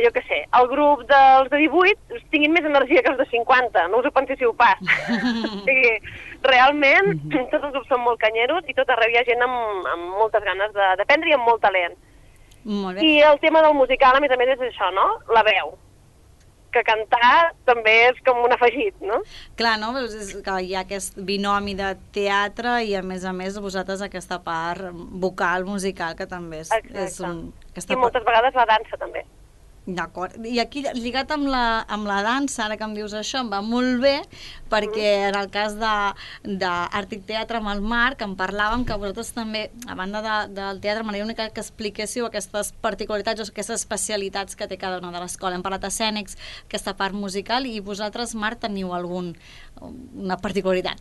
jo què sé, el grup dels de divuit tinguin més energia que els de cinquanta, no us ho penséssiu pas. O sigui, realment, tots els grups són molt canyeros i tot arreu hi ha gent amb, amb moltes ganes d'aprendre i amb molt talent. Molt bé. I el tema del musical, a més a més, és això, no? La veu. Que cantar també és com un afegit, no? Clar, no? És que hi ha aquest binomi de teatre i, a més a més, vosaltres aquesta part vocal, musical, que també és, és un... I moltes vegades la dansa, també. D'acord. I aquí, lligat amb la, amb la dansa, ara que em dius això, em va molt bé, perquè en el cas de, de Àrtic Teatre amb el Marc, en parlàvem que vosaltres també, a banda de, del teatre, m'agradaria una mica que expliquéssiu aquestes particularitats o aquestes especialitats que té cada una de l'escola. Hem parlat escènics, aquesta part musical, i vosaltres, Marc, teniu algun, una particularitat?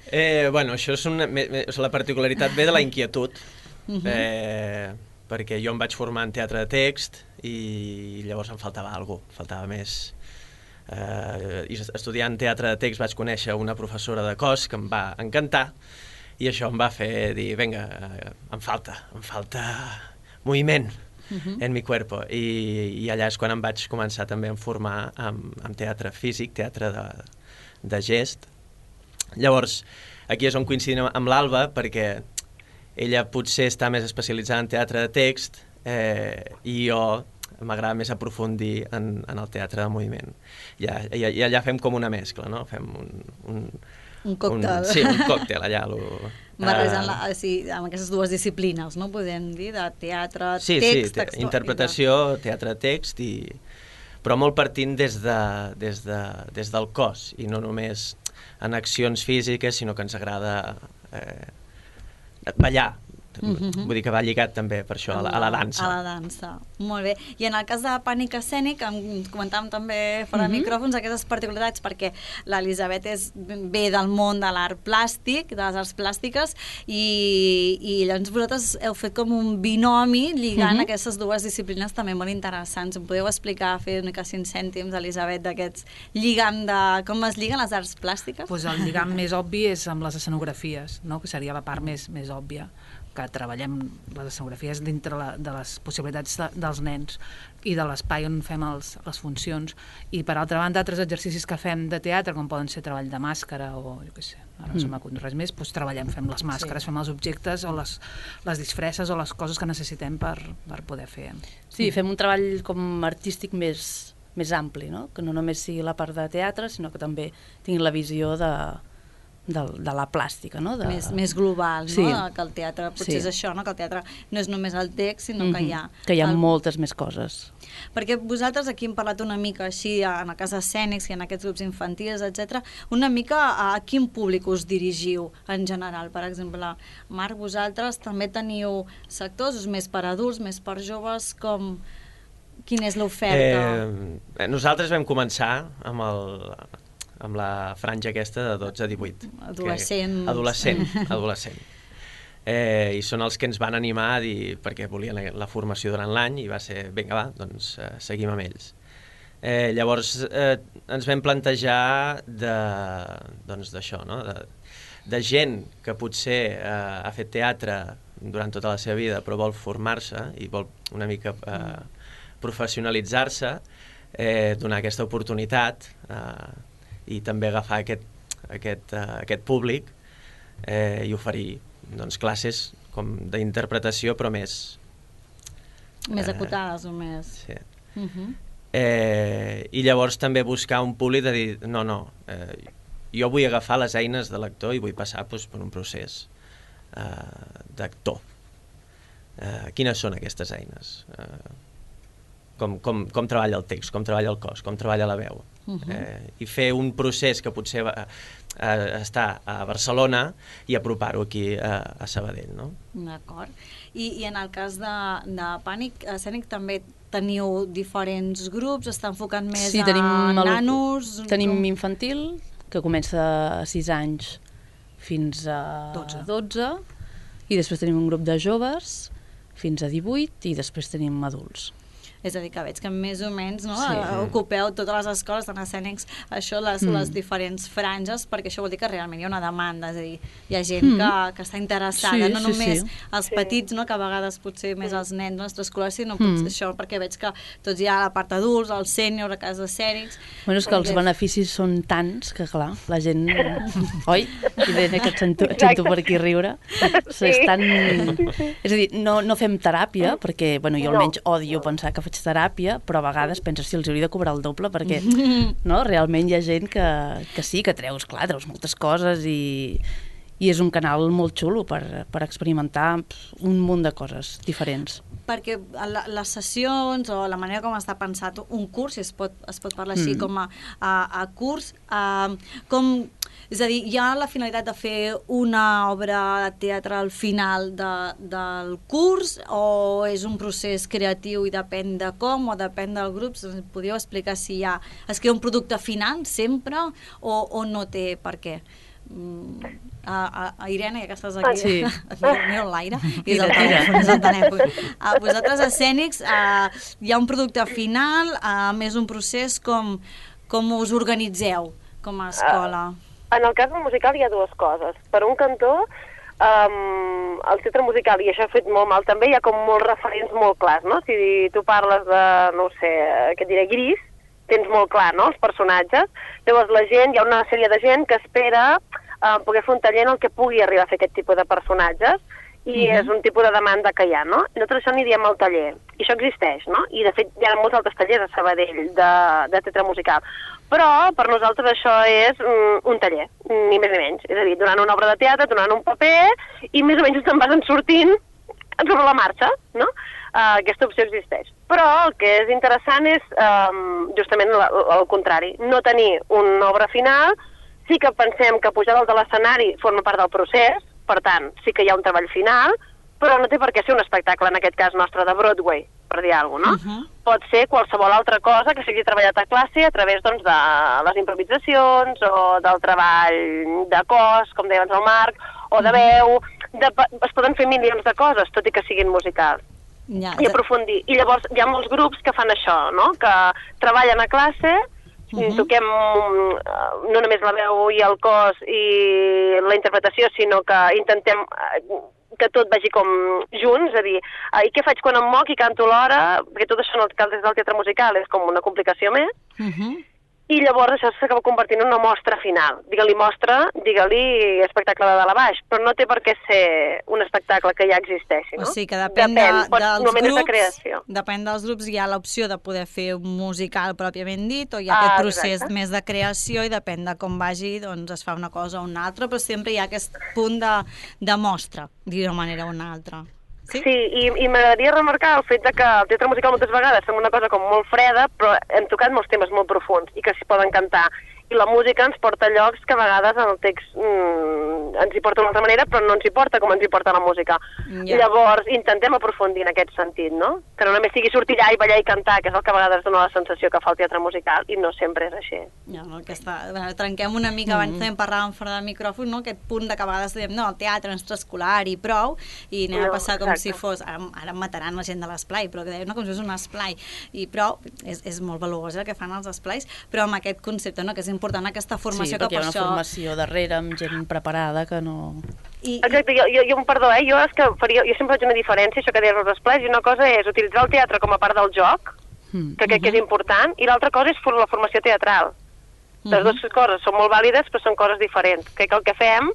Eh, bueno, això és una, la particularitat ve de la inquietud, Uh-huh. eh, perquè jo em vaig formar en teatre de text i llavors em faltava alguna cosa, faltava més. Eh, i estudiant teatre de text vaig conèixer una professora de cos que em va encantar i això em va fer dir, vinga, em falta, em falta moviment uh-huh. en mi cuerpo. I, i allà és quan em vaig començar també a formar amb, amb teatre físic, teatre de, de gest. Llavors, aquí és on coincidim amb l'Alba, perquè ella potser està més especialitzada en teatre de text eh, i jo m'agrada més aprofundir en, en el teatre de moviment. I, i, i allà fem com una mescla, no? Fem un... Un, un còctel. Un, sí, un còctel, allà. Lo, Barrejant la, sí, amb aquestes dues disciplines, no? Podem dir, de teatre, sí, text... Sí, te, interpretació, de... teatre, text, i, però molt partint des, de, des, de, des del cos, i no només en accions físiques, sinó que ens agrada... Eh, ballar, uh-huh. vull dir que va lligat també per això, a la, a la dansa. A la dansa, molt bé. I en el cas de Pànic Escènic, em comentàvem també fora de uh-huh. micròfons aquestes particularitats, perquè l'Elisabet és ve del món de l'art plàstic, de les arts plàstiques, i, i llavors vosaltres heu fet com un binomi lligant uh-huh. aquestes dues disciplines també molt interessants. Em podeu explicar, fer una mica cinc cèntims, Elisabet, d'aquests lligam de... com es lliguen les arts plàstiques? Pues el lligam més obvi és amb les escenografies, no? Que seria la part més, més òbvia, que treballem les escenografies dintre la, de les possibilitats de, dels nens i de l'espai on fem els, les funcions. I per altra banda, altres exercicis que fem de teatre, com poden ser treball de màscara o jo què sé, ara no mm. se m'acut res més, doncs treballem, fem les màscares, sí. fem els objectes o les, les disfresses o les coses que necessitem per, per poder fer. Sí, fem un treball com artístic més, més ampli, no? Que no només sigui la part de teatre, sinó que també tingui la visió de... De, de la plàstica, no? De... Més, més global, no? Sí. Que el teatre, potser sí. és això, no? Que el teatre no és només el text, sinó mm-hmm. que hi ha... Que hi ha el... moltes més coses. Perquè vosaltres aquí hem parlat una mica així, en el cas escènics i en aquests grups infantils, etcètera, una mica a quin públic us dirigiu en general? Per exemple, Marc, vosaltres també teniu sectors més per adults, més per joves, com... Quina és l'oferta? Eh, nosaltres vam començar amb el... amb la franja aquesta de dotze a divuit. Adolescents. Que, adolescent, adolescent. Eh, I són els que ens van animar a dir, perquè volien la, la formació durant l'any, i va ser, vinga, va, doncs eh, seguim amb ells. Eh, llavors eh, ens vam plantejar de, doncs d'això, no? de, de gent que potser eh, ha fet teatre durant tota la seva vida, però vol formar-se i vol una mica eh, professionalitzar-se, eh, donar aquesta oportunitat, eh, i també agafar aquest, aquest, uh, aquest públic eh, i oferir doncs, classes com d'interpretació, però més... Més eh, acotades o més... Sí. Uh-huh. eh, I llavors també buscar un públic de dir, no, no, eh, jo vull agafar les eines de l'actor i vull passar doncs, per un procés eh, d'actor. Eh, quines són aquestes eines? Eh, com, com, com treballa el text, com treballa el cos, com treballa la veu. Uh-huh. eh, i fer un procés que potser va, eh, està a Barcelona i apropar-ho aquí a, a Sabadell, no? D'acord. I, I en el cas de, de Pànic Escènic també teniu diferents grups, està enfocat més sí, tenim a el, nanos? Tenim com... infantil, que comença a sis anys fins a dotze. dotze, i després tenim un grup de joves fins a divuit, i després tenim adults. És a dir, que veig que més o menys no, sí. ocupeu totes les escoles, tant escènics, això, les, mm. les diferents franges, perquè això vol dir que realment hi ha una demanda, és a dir, hi ha gent mm. que, que està interessada, sí, no sí, només sí. els petits, no, que a vegades potser més els nens extraescolars, sinó potser mm. això, perquè veig que tots hi ha la part adults, el sènior, a casa escènics... Bueno, és que els beneficis són tants que, clar, la gent... Oi? Irene, que et sento, et sento per aquí riure. Sí. Estan... És a dir, no, no fem teràpia, perquè, bueno, jo almenys odio pensar que faig teràpia, però a vegades penses si els hauria de cobrar el doble, perquè no, realment hi ha gent que, que sí, que treus, clar, treus moltes coses i, i és un canal molt xulo per, per experimentar un munt de coses diferents. Perquè les sessions o la manera com està pensat un curs, si es pot, es pot parlar així, mm. com a, a, a curs, a, com, és a dir, hi ha la finalitat de fer una obra de teatre al final de, del curs o és un procés creatiu i depèn de com o depèn del grup? Podríeu explicar si hi ha, es crea un producte final sempre o, o no té per què? A, a, a Irene, ja que estàs aquí, sí. Mira l'aire, i és el telèfon, és el telèfon. A vosaltres, escènics, a, hi ha un producte final, a més un procés, com, com us organitzeu com a escola? Uh, en el cas del musical hi ha dues coses. Per un cantó, um, el teatre musical, i això ha fet molt mal també, hi ha com molts referents molt clars, no? Si tu parles de, no ho sé, què et diré, Gris, tens molt clar, no?, els personatges. Llavors la gent, hi ha una sèrie de gent que espera uh, poder fer un taller en el que pugui arribar a fer aquest tipus de personatges i uh-huh. és un tipus de demanda que hi ha, no? I nosaltres això n'hi diem al taller. I això existeix, no? I de fet hi ha molts altres tallers a Sabadell de, de teatre musical. Però per nosaltres això és mm, un taller, ni més ni menys. És a dir, donant una obra de teatre, donant un paper i més o menys te'n vas en sortint sobre la marxa, no? Uh, aquesta opció existeix. Però el que és interessant és um, justament el contrari, no tenir una obra final, sí que pensem que pujar dalt de l'escenari forma part del procés, per tant, sí que hi ha un treball final, però no té per què ser un espectacle, en aquest cas nostre, de Broadway, per dir alguna cosa, no? Uh-huh. Pot ser qualsevol altra cosa que sigui treballat a classe a través doncs, de les improvisacions o del treball de cos, com deia abans el Marc, o de veu, de, es poden fer milions de coses, tot i que siguin musicals. Ja, i aprofundir. I llavors hi ha molts grups que fan això, no?, que treballen a classe, uh-huh. toquem no només la veu i el cos i la interpretació, sinó que intentem que tot vagi com junts, és a dir, i què faig quan em moc i canto l'hora, perquè tot això en el cas del teatre musical és com una complicació més, uh-huh. i llavors això s'acaba convertint en una mostra final. Digue-li mostra, digue-li espectacle de dalt a baix, però no té per què ser un espectacle que ja existeixi, no? O sigui que depèn, depèn de, dels grups, de creació. Depèn dels grups, hi ha l'opció de poder fer un musical pròpiament dit, o hi ha aquest ah, procés exacte. Més de creació i depèn de com vagi, doncs es fa una cosa o una altra, però sempre hi ha aquest punt de, de mostra, d'una manera o una altra. Sí, sí i, i m'agradaria remarcar el fet de que el teatre musical moltes vegades sembla una cosa com molt freda, però hem tocat molts temes molt profuns i que s'hi poden cantar. I la música ens porta a llocs que a vegades en el text mm, ens hi porta d'una altra manera, però no ens hi porta com ens hi porta la música. Yeah. Llavors, intentem aprofundir en aquest sentit, no? Que no només sigui sortir allà i ballar i cantar, que és el que a vegades dona la sensació que fa el teatre musical, i no sempre és així. Ja, no, que està... Bueno, trenquem una mica, abans mm. també parlàvem fora del micròfon, no? Aquest punt de que a vegades diem, no, el teatre extraescolar i prou, i anem no, a passar com exacte. Si fos... Ara, ara em mataran la gent de l'esplai, però que deien, no, com si fos un esplai. I prou, és, és molt valuós el que fan els esplais, però amb aquest concepte, no?, que és important aquesta formació, sí, que per això... Sí, perquè hi ha una formació darrere amb gent preparada que no... I, Exacte, jo, jo, jo, perdó, eh? jo, és que faria, jo sempre faig una diferència, això que deies els esplais, i una cosa és utilitzar el teatre com a part del joc, mm. que crec uh-huh. que és important, i l'altra cosa és la formació teatral. Uh-huh. Les dues coses són molt vàlides, però són coses diferents. Crec que el que fem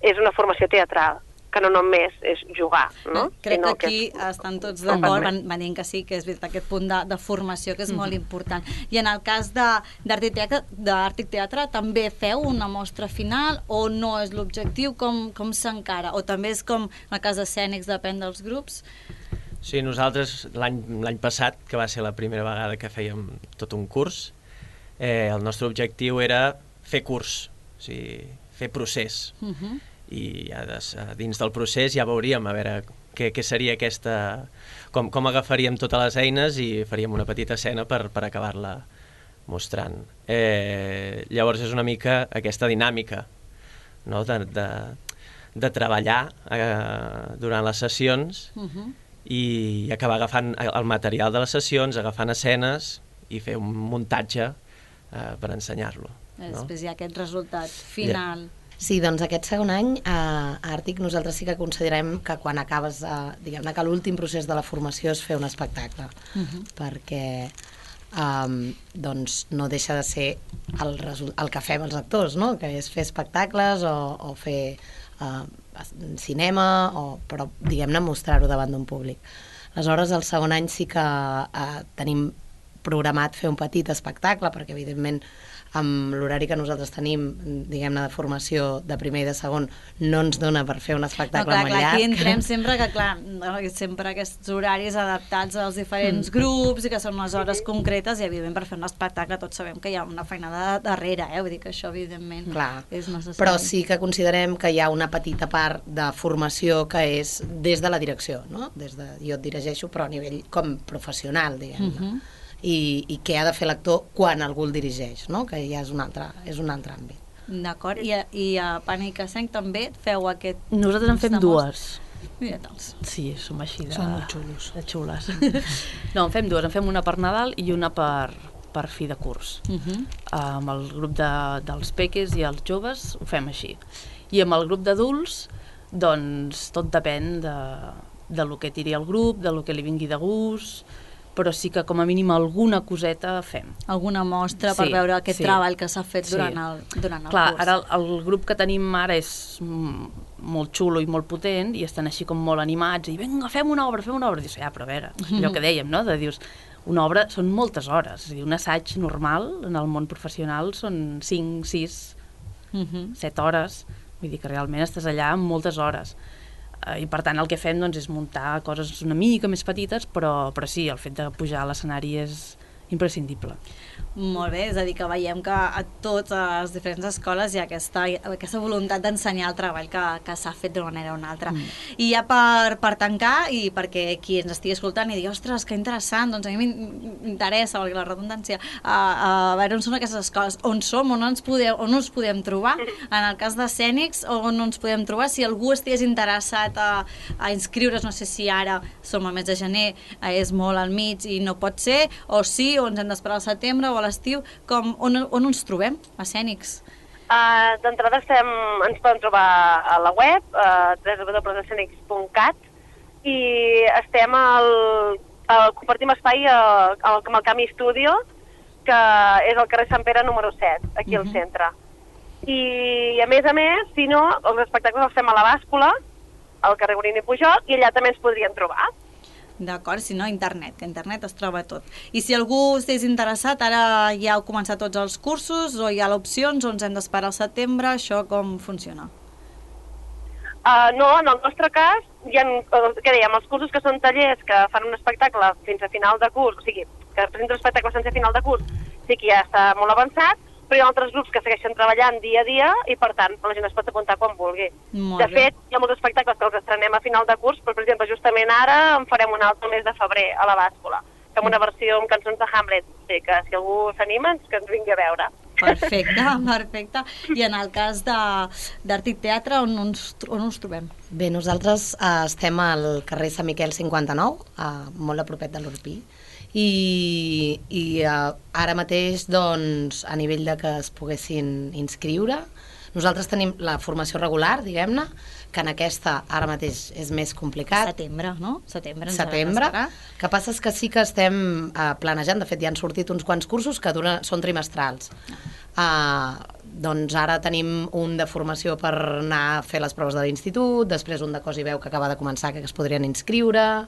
és una formació teatral, que no només és jugar, no? Crec que aquí que és... estan tots d'acord, van, van dient que sí, que és veritat, aquest punt de, de formació que és mm. molt important. I en el cas d'Art i Teatre, d'Art i Teatre, també feu una mostra final o no és l'objectiu? Com, com s'encara? O també és com en el cas d'escènics, depèn dels grups? Sí, nosaltres l'any passat, que va ser la primera vegada que fèiem tot un curs, eh, el nostre objectiu era fer curs, o sigui, fer procés. Uh-huh. I ja des, dins del procés ja veuríem a veure què, què seria aquesta... Com, com agafaríem totes les eines i faríem una petita escena per, per acabar-la mostrant. Eh, llavors és una mica aquesta dinàmica, no?, de, de, de treballar eh, durant les sessions uh-huh. i acabar agafant el material de les sessions, agafant escenes i fer un muntatge eh, per ensenyar-lo. No? Després hi ha aquest resultat final... Yeah. Sí, doncs aquest segon any a Àrtic nosaltres sí que considerem que quan acabes, eh, diguem-ne que l'últim procés de la formació és fer un espectacle, uh-huh. perquè um, doncs no deixa de ser el, el que fem els actors, no?, que és fer espectacles o, o fer uh, cinema, o, però diguem-ne mostrar-ho davant d'un públic. Aleshores, el segon any sí que uh, tenim programat fer un petit espectacle, perquè evidentment amb l'horari que nosaltres tenim, diguem-ne, de formació de primer i de segon, no ens dona per fer un espectacle no, clar, molt clar, llarg. Aquí entrem sempre que, clar, sempre aquests horaris adaptats als diferents mm. grups i que són unes hores concretes i, evidentment, per fer un espectacle tots sabem que hi ha una feinada darrere, eh? Vull dir que això, evidentment, clar. És necessari. Però sí que considerem que hi ha una petita part de formació que és des de la direcció, no? Des de, jo et dirigeixo, però a nivell com professional, diguem-ne. Uh-huh. I, i què ha de fer l'actor quan algú el dirigeix, no? Que ja és un altre, és un altre àmbit. D'acord, i, a, i a Pànic Escènic també feu aquest... Nosaltres en fem dues. Mira-te'ls. Sí, som així de... Són molt xulos. De xules. No, en fem dues, en fem una per Nadal i una per, per fi de curs. Uh-huh. Amb el grup de, dels peques i els joves ho fem així. I amb el grup d'adults, doncs tot depèn de, de lo que tiri el grup, de lo que li vingui de gust, però sí que com a mínim alguna coseta fem. Alguna mostra per sí, veure aquest sí. treball que s'ha fet sí. durant el, durant el Clar, curs. ara el, el grup que tenim ara és molt xulo i molt potent i estan així com molt animats i vinga, fem una obra, fem una obra. I dius, ja, però a veure, allò que dèiem, no? De dius, una obra són moltes hores. És a dir, un assaig normal en el món professional són cinc, sis, set hores. Vull dir que realment estàs allà amb moltes hores. I per tant el que fem doncs, és muntar coses una mica més petites, però, però sí, el fet de pujar a l'escenari és imprescindible. Molt bé, és a dir, que veiem que a totes les diferents escoles hi ha aquesta, aquesta voluntat d'ensenyar el treball que, que s'ha fet d'una manera o una altra. Mm. I ja per, per tancar, i perquè qui ens estigui escoltant i digui, ostres, que interessant, doncs a mi m'interessa, perquè la redundància, a, a veure on són aquestes escoles, on som, on ens podem, on ens podem trobar, en el cas d'escènics, on ens podem trobar, si algú estigués interessat a, a inscriure's, no sé si ara som al mes de gener, és molt al mig i no pot ser, o sí, o ens hem d'esperar al setembre o a l'estiu, com, on, on ens trobem, escènics? Uh, D'entrada estem, ens poden trobar a la web, uh, w w w punt escènics punt cat, i estem al, al compartim espai al, al, al Camí Studio, que és al carrer Sant Pere número set, aquí uh-huh. al centre. I a més a més, si no, els espectacles els fem a la Bàscula, al carrer Borini Pujol, i allà també ens podrien trobar. D'acord, si no, internet, que internet es troba tot. I si algú estigués interessat, ara ja heu començat tots els cursos, o hi ha opcions, o ens hem d'esperar al setembre, això com funciona? Uh, no, en el nostre cas, hi ha, què dèiem, els cursos que són tallers que fan un espectacle fins a final de curs, o sigui, que presenten un espectacle sense final de curs, sí que ja està molt avançat, però hi ha altres grups que segueixen treballant dia a dia i, per tant, la gent es pot apuntar quan vulgui. Molt de bé. fet, hi ha molts espectacles que els estrenem a final de curs, però, per exemple, justament ara en farem un altre mes de febrer a la Bàscula, fem una versió amb cançons de Hamlet, sí, que si algú s'anima, que ens vingui a veure. Perfecte, perfecte. I en el cas d'Art i Teatre, on ens, on ens trobem? Bé, nosaltres eh, estem al carrer Sant Miquel cinquanta-nou, eh, molt a propet de l'Orpí, i, i uh, ara mateix doncs, a nivell de que es poguessin inscriure, nosaltres tenim la formació regular, diguem-ne, que en aquesta ara mateix és més complicat. Setembre, no? Setembre. Setembre. Que passa és que sí que estem uh, planejant, de fet ja han sortit uns quants cursos que dura, són trimestrals. Uh, doncs ara tenim un de formació per anar a fer les proves de l'institut, després un de cos i veu que acaba de començar, que es podrien inscriure...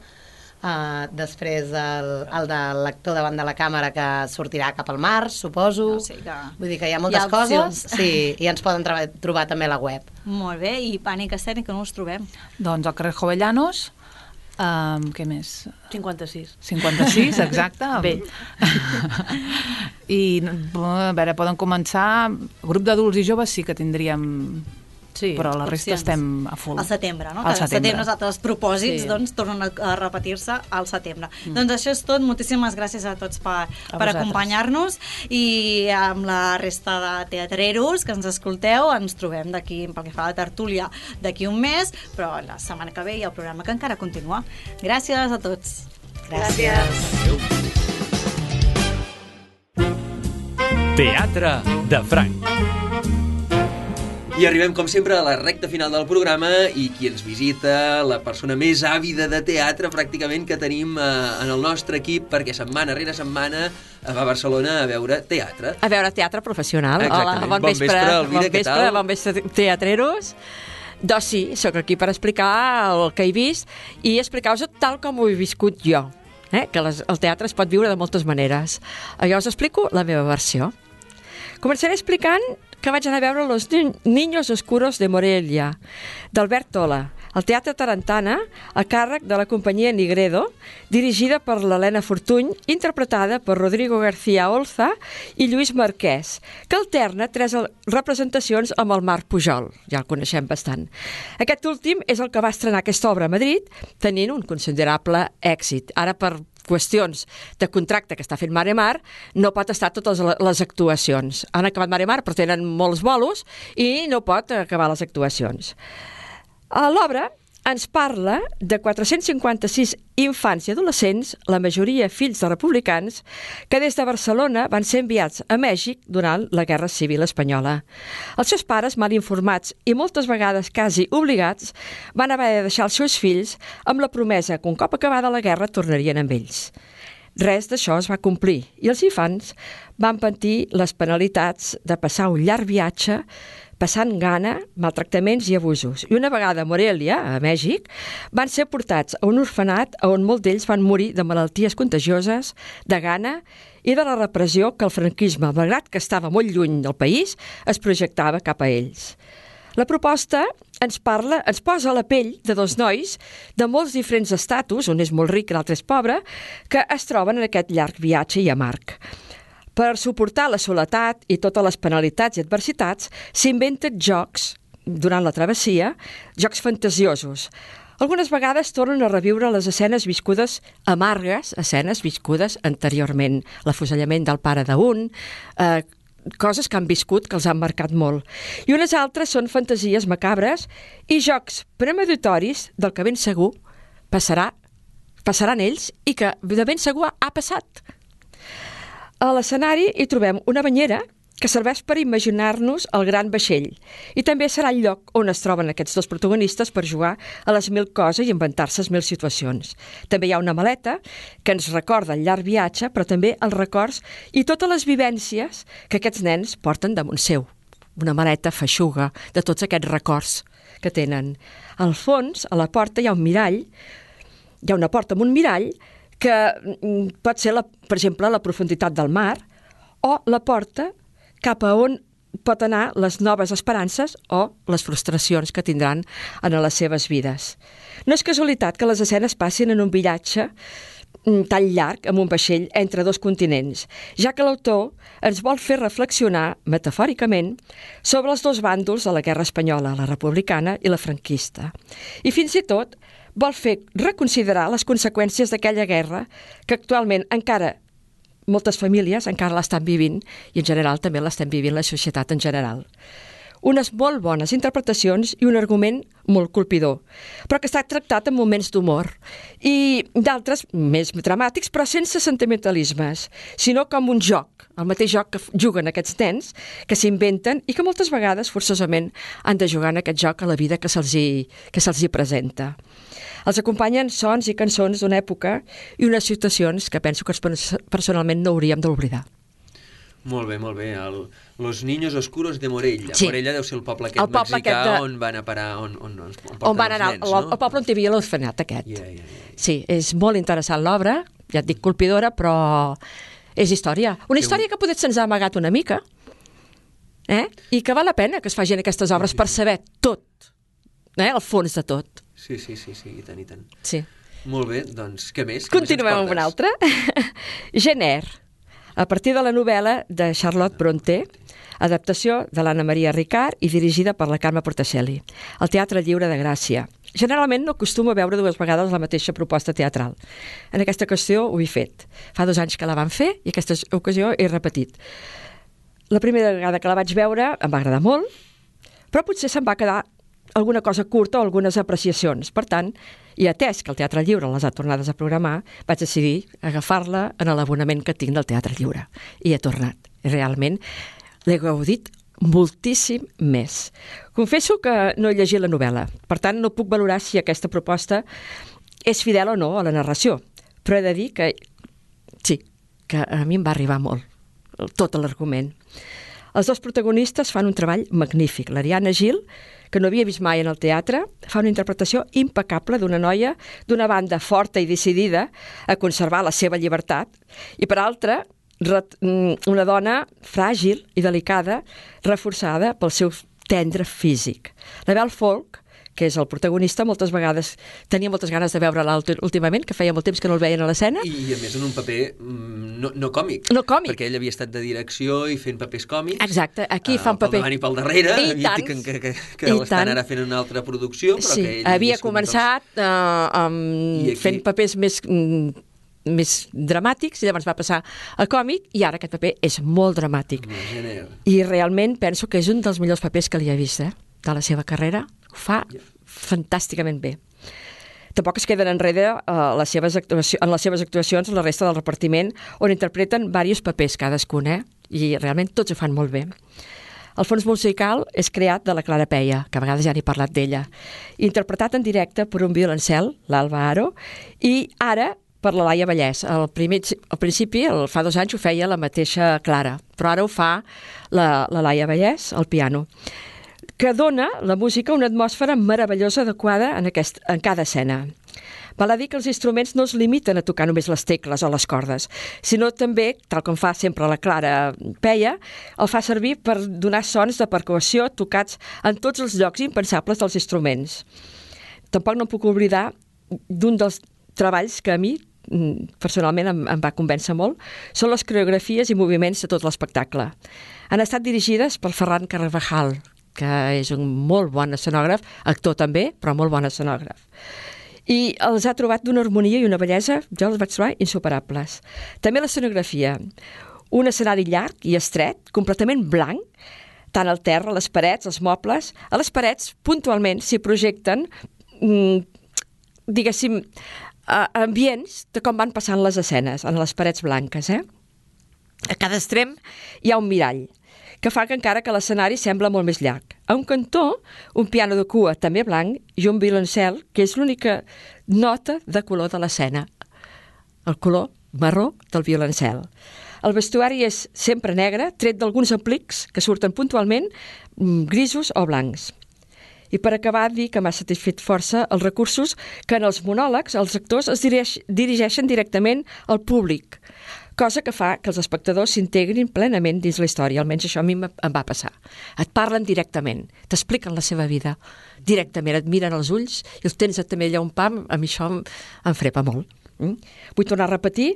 Uh, després el, el de l'actor davant de la càmera que sortirà cap al març, suposo. No, sí que... Vull dir que hi ha moltes hi ha coses, sí, i ens poden trobar, trobar també a la web. Molt bé, i Pànic Escènic, on us trobem? Doncs al carrer Jovellanos, um, què més? cinquanta-sis. cinquanta-sis, exacte. Bé. I, a veure, poden començar... Grup d'adults i joves sí que tindríem... Sí, però la resta opcions. Estem a full. Al setembre, no? Al Cada setembre. setembre els altres propòsits Sí. doncs, tornen a, a repetir-se al setembre. Mm. Doncs això és tot. Moltíssimes gràcies a tots per, per acompanyar-nos i amb la resta de teatreros que ens escolteu ens trobem d'aquí, pel que fa a la tertúlia, d'aquí un mes, però la setmana que ve hi ha el programa que encara continua. Gràcies a tots. Gràcies. Teatre de Franc. I arribem, com sempre, a la recta final del programa i qui ens visita, la persona més àvida de teatre, pràcticament, que tenim eh, en el nostre equip, perquè setmana rere setmana va a Barcelona a veure teatre. A veure teatre professional. Exactament. Hola, bon, Bon vespre, vespre, Elvira, bon què vespre, tal? bon vespre, teatreros. Doncs sí, sóc aquí per explicar el que he vist i explicar-vos tal com ho he viscut jo, eh? Que les, el teatre es pot viure de moltes maneres. Jo us explico la meva versió. Començaré explicant que vaig anar a veure Los Niños Oscuros de Morelia, d'Albert Tola, al Teatre Tarantana, a càrrec de la companyia Nigredo, dirigida per l'Helena Fortuny, interpretada per Rodrigo García Olza i Lluís Marquès, que alterna tres representacions amb el Marc Pujol, ja el coneixem bastant. Aquest últim és el que va estrenar aquesta obra a Madrid, tenint un considerable èxit. Ara, per qüestions de contracte que està fent Mare Mar, no pot estar totes les actuacions. Han acabat Mare Mar, però tenen molts bolos i no pot acabar les actuacions. L'obra ens parla de quatre-cents cinquanta-sis infants i adolescents, la majoria fills de republicans, que des de Barcelona van ser enviats a Mèxic durant la Guerra Civil Espanyola. Els seus pares, mal informats i moltes vegades quasi obligats, van haver de deixar els seus fills amb la promesa que un cop acabada la guerra tornarien amb ells. Res d'això es va complir i els infants van patir les penalitats de passar un llarg viatge passant gana, maltractaments i abusos. I una vegada a Morelia, a Mèxic, van ser portats a un orfenat on molts d'ells van morir de malalties contagioses, de gana i de la repressió que el franquisme, malgrat que estava molt lluny del país, es projectava cap a ells. La proposta ens parla, ens posa a la pell de dos nois de molts diferents estatus, un és molt ric i l'altre és pobre, que es troben en aquest llarg viatge i amarg. Per suportar la soledat i totes les penalitats i adversitats, s'inventen jocs, durant la travessia, jocs fantasiosos. Algunes vegades tornen a reviure les escenes viscudes amargues, escenes viscudes anteriorment. L'afusellament del pare d'un, eh, coses que han viscut, que els han marcat molt. I unes altres són fantasies macabres i jocs premeditoris del que ben segur passarà, passaran ells i que de ben segur ha passat. A l'escenari hi trobem una banyera que serveix per imaginar-nos el gran vaixell i també serà el lloc on es troben aquests dos protagonistes per jugar a les mil coses i inventar-se les mil situacions. També hi ha una maleta que ens recorda el llarg viatge, però també els records i totes les vivències que aquests nens porten damunt seu. Una maleta feixuga de tots aquests records que tenen. Al fons, a la porta, hi ha un mirall, hi ha una porta amb un mirall que pot ser, la, per exemple, la profunditat del mar o la porta cap a on pot anar les noves esperances o les frustracions que tindran en les seves vides. No és casualitat que les escenes passin en un viatge tan llarg amb un vaixell entre dos continents, ja que l'autor ens vol fer reflexionar, metafòricament, sobre els dos bàndols de la guerra espanyola, la republicana i la franquista. I fins i tot vol fer reconsiderar les conseqüències d'aquella guerra que actualment encara moltes famílies encara l'estan vivint i en general també l'estem vivint la societat en general. Unes molt bones interpretacions i un argument molt colpidor, però que està tractat en moments d'humor i d'altres més dramàtics, però sense sentimentalismes, sinó com un joc, el mateix joc que juguen aquests nens, que s'inventen i que moltes vegades forçosament han de jugar en aquest joc a la vida que se'ls hi, que se'ls hi presenta. Els acompanyen sons i cançons d'una època i unes situacions que penso que personalment no hauríem d'oblidar. Molt bé, molt bé. El, Los Niños Oscuros de Morella. Sí. Morella deu ser el poble aquest el poble mexicà aquest de... on van a parar, on, on, on, on, on van anar, els nens, no? El poble on hi havia l'orfenat aquest. Yeah, yeah, yeah. Sí, és molt interessant l'obra, ja et dic colpidora, però és història. Una història que potser se'ns ha amagat una mica, eh? I que val la pena que es facin aquestes obres per saber tot, eh? El fons de tot. Sí, sí, sí, sí, i tant, i tant. Sí. Molt bé, doncs, què més? Continuem amb una altra. Gener, a partir de la novel·la de Charlotte Brontë, adaptació de l'Anna Maria Ricard i dirigida per la Carme Portacelli. El Teatre Lliure de Gràcia. Generalment no acostumo a veure dues vegades la mateixa proposta teatral. En aquesta qüestió ho he fet. Fa dos anys que la van fer i aquesta ocasió he repetit. La primera vegada que la vaig veure em va agradar molt, però potser se'm va quedar alguna cosa curta o algunes apreciacions. Per tant, i atès que el Teatre Lliure les ha tornades a programar, vaig decidir agafar-la en l'abonament que tinc del Teatre Lliure. I he tornat. I realment l'he gaudit moltíssim més. Confesso que no he llegit la novel·la, per tant no puc valorar si aquesta proposta és fidel o no a la narració, però he de dir que sí, que a mi em va arribar molt, tot l'argument. Els dos protagonistes fan un treball magnífic. L'Ariana Gil, que no havia vist mai en el teatre, fa una interpretació impecable d'una noia d'una banda forta i decidida a conservar la seva llibertat, i per altra, una dona fràgil i delicada, reforçada pel seu tendre físic. La Belle Folk, que és el protagonista, moltes vegades tenia moltes ganes de veure-la últimament, que feia molt temps que no el veien a l'escena. I, I a més en un paper no, no còmic. No còmic. Perquè ell havia estat de direcció i fent papers còmics. Exacte, aquí uh, fa un paper... Pel davant i pel darrere, I tant. que, que, que, que l'estan ara fent una altra producció, però sí, que ell... havia començat uh, um, aquí... fent papers més... Mm, més dramàtics, i llavors va passar a còmic, i ara aquest paper és molt dramàtic. I realment penso que és un dels millors papers que li he vist, eh? De la seva carrera. Ho fa fantàsticament bé. Tampoc es queden enrere uh, les seves actuacions, en les seves actuacions la resta del repartiment, on interpreten diversos papers cadascun, eh? I realment tots ho fan molt bé. El fons musical és creat de la Clara Peia, que a vegades ja n'he parlat d'ella, interpretat en directe per un violoncel, l'Alba Aro, i ara per la Laia Vallès. Al, primer, al principi, el, fa dos anys, ho feia la mateixa Clara, però ara ho fa la, la Laia Vallès, al piano, que dona la música una atmosfera meravellosa adequada en, aquest, en cada escena. Val a dir que els instruments no es limiten a tocar només les tecles o les cordes, sinó també, tal com fa sempre la Clara Peia, el fa servir per donar sons de percussió tocats en tots els llocs impensables dels instruments. Tampoc no puc oblidar d'un dels treballs que a mi personalment em, em va convèncer molt, són les coreografies i moviments de tot l'espectacle. Han estat dirigides per Ferran Carvajal, que és un molt bon escenògraf, actor també, però molt bon escenògraf. I els ha trobat d'una harmonia i una bellesa, jo els vaig trobar insuperables. També l'escenografia, un escenari llarg i estret, completament blanc, tant al terra, les parets, els mobles. A les parets, puntualment, s'hi projecten, mm, diguéssim, Uh, ambients de com van passant les escenes en les parets blanques, eh? A cada extrem hi ha un mirall que fa que encara que l'escenari sembla molt més llarg. A un cantó, un piano de cua també blanc i un violoncel, que és l'única nota de color de l'escena, el color marró del violoncel. El vestuari és sempre negre, tret d'alguns aplics que surten puntualment grisos o blancs. I per acabar, dir que m'ha satisfet força els recursos que en els monòlegs els actors es dirigeix, dirigeixen directament al públic, cosa que fa que els espectadors s'integrin plenament dins la història, almenys això a mi em va passar. Et parlen directament, t'expliquen la seva vida directament, et miren als ulls i els tens també allà un pam, a mi això em, em frepa molt. Mm? Vull tornar a repetir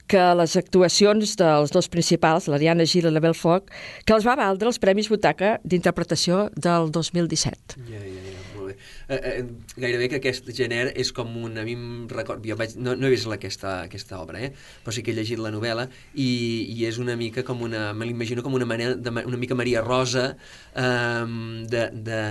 que les actuacions dels dos principals, l'Ariana Gil i la Belle Folk, que els va valdre els Premis Butaca d'interpretació del dos mil disset. Ja, ja, ja, molt bé. Eh, eh, gairebé que aquest gènere és com un... A mi em record... Jo vaig, no, no he vist aquesta, aquesta obra, eh? Però sí que he llegit la novel·la i, i és una mica com una... Me l'imagino com una, manera de, una mica Maria Rosa eh, de, de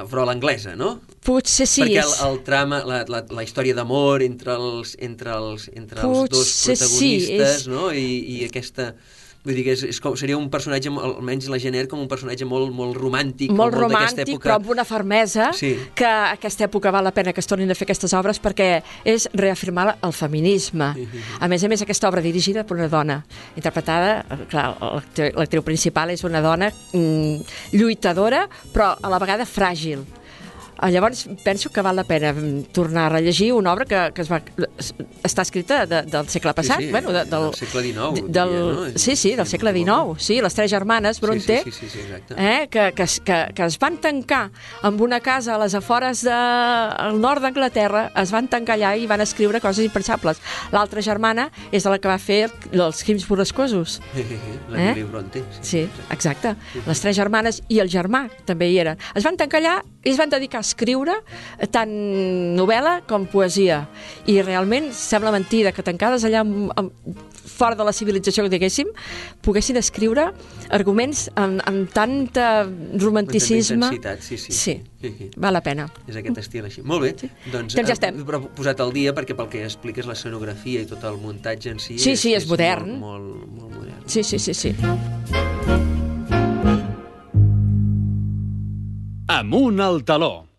brola anglesa, no? Potser sí. Perquè és... el, el trama, la, la, la història d'amor entre els, entre els, entre els dos protagonistes, sí, és... no? I, i aquesta... Vull dir que és, és com, seria un personatge, almenys la Jenner, com un personatge molt, molt romàntic. Molt, molt romàntic, època... però amb una fermesa, sí. Que a aquesta època val la pena que es tornin a fer aquestes obres perquè és reafirmar el feminisme. Sí, sí, sí. A més a més, aquesta obra dirigida per una dona, interpretada, clar, l'actriu principal és una dona mm, lluitadora, però a la vegada fràgil. Llavors penso que val la pena tornar a rellegir una obra que, que es va, està escrita de, del segle passat, sí, sí, bueno, de, del, del segle dinou, del, diria, no? sí, sí, del segle dinou, sí, les tres germanes Bronte, sí, sí, sí, sí, exacte. eh, que, que, que, que es van tancar amb una casa a les afores del nord d'Anglaterra, es van tancar allà i van escriure coses impensables. L'altra germana és la que va fer els crims borrascosos. La Lili Bronte. Sí, exacte. Les tres germanes i el germà també hi eren. Es van tancar allà i es van dedicar a escriure tant novel·la com poesia. I realment sembla mentida que tancades allà amb, amb, fora de la civilització, diguéssim, poguessin escriure arguments amb, amb tanta romanticisme. Amb tanta intensitat, sí, sí. Sí, sí, sí. val la pena. És aquest estil així. Molt bé. Sí. Doncs, doncs ja estem. He posat al dia perquè pel que expliques l'escenografia i tot el muntatge en si... Sí, és, sí, és, és modern. Molt, molt, molt modern. Sí, sí, sí, sí. Amunt al taló.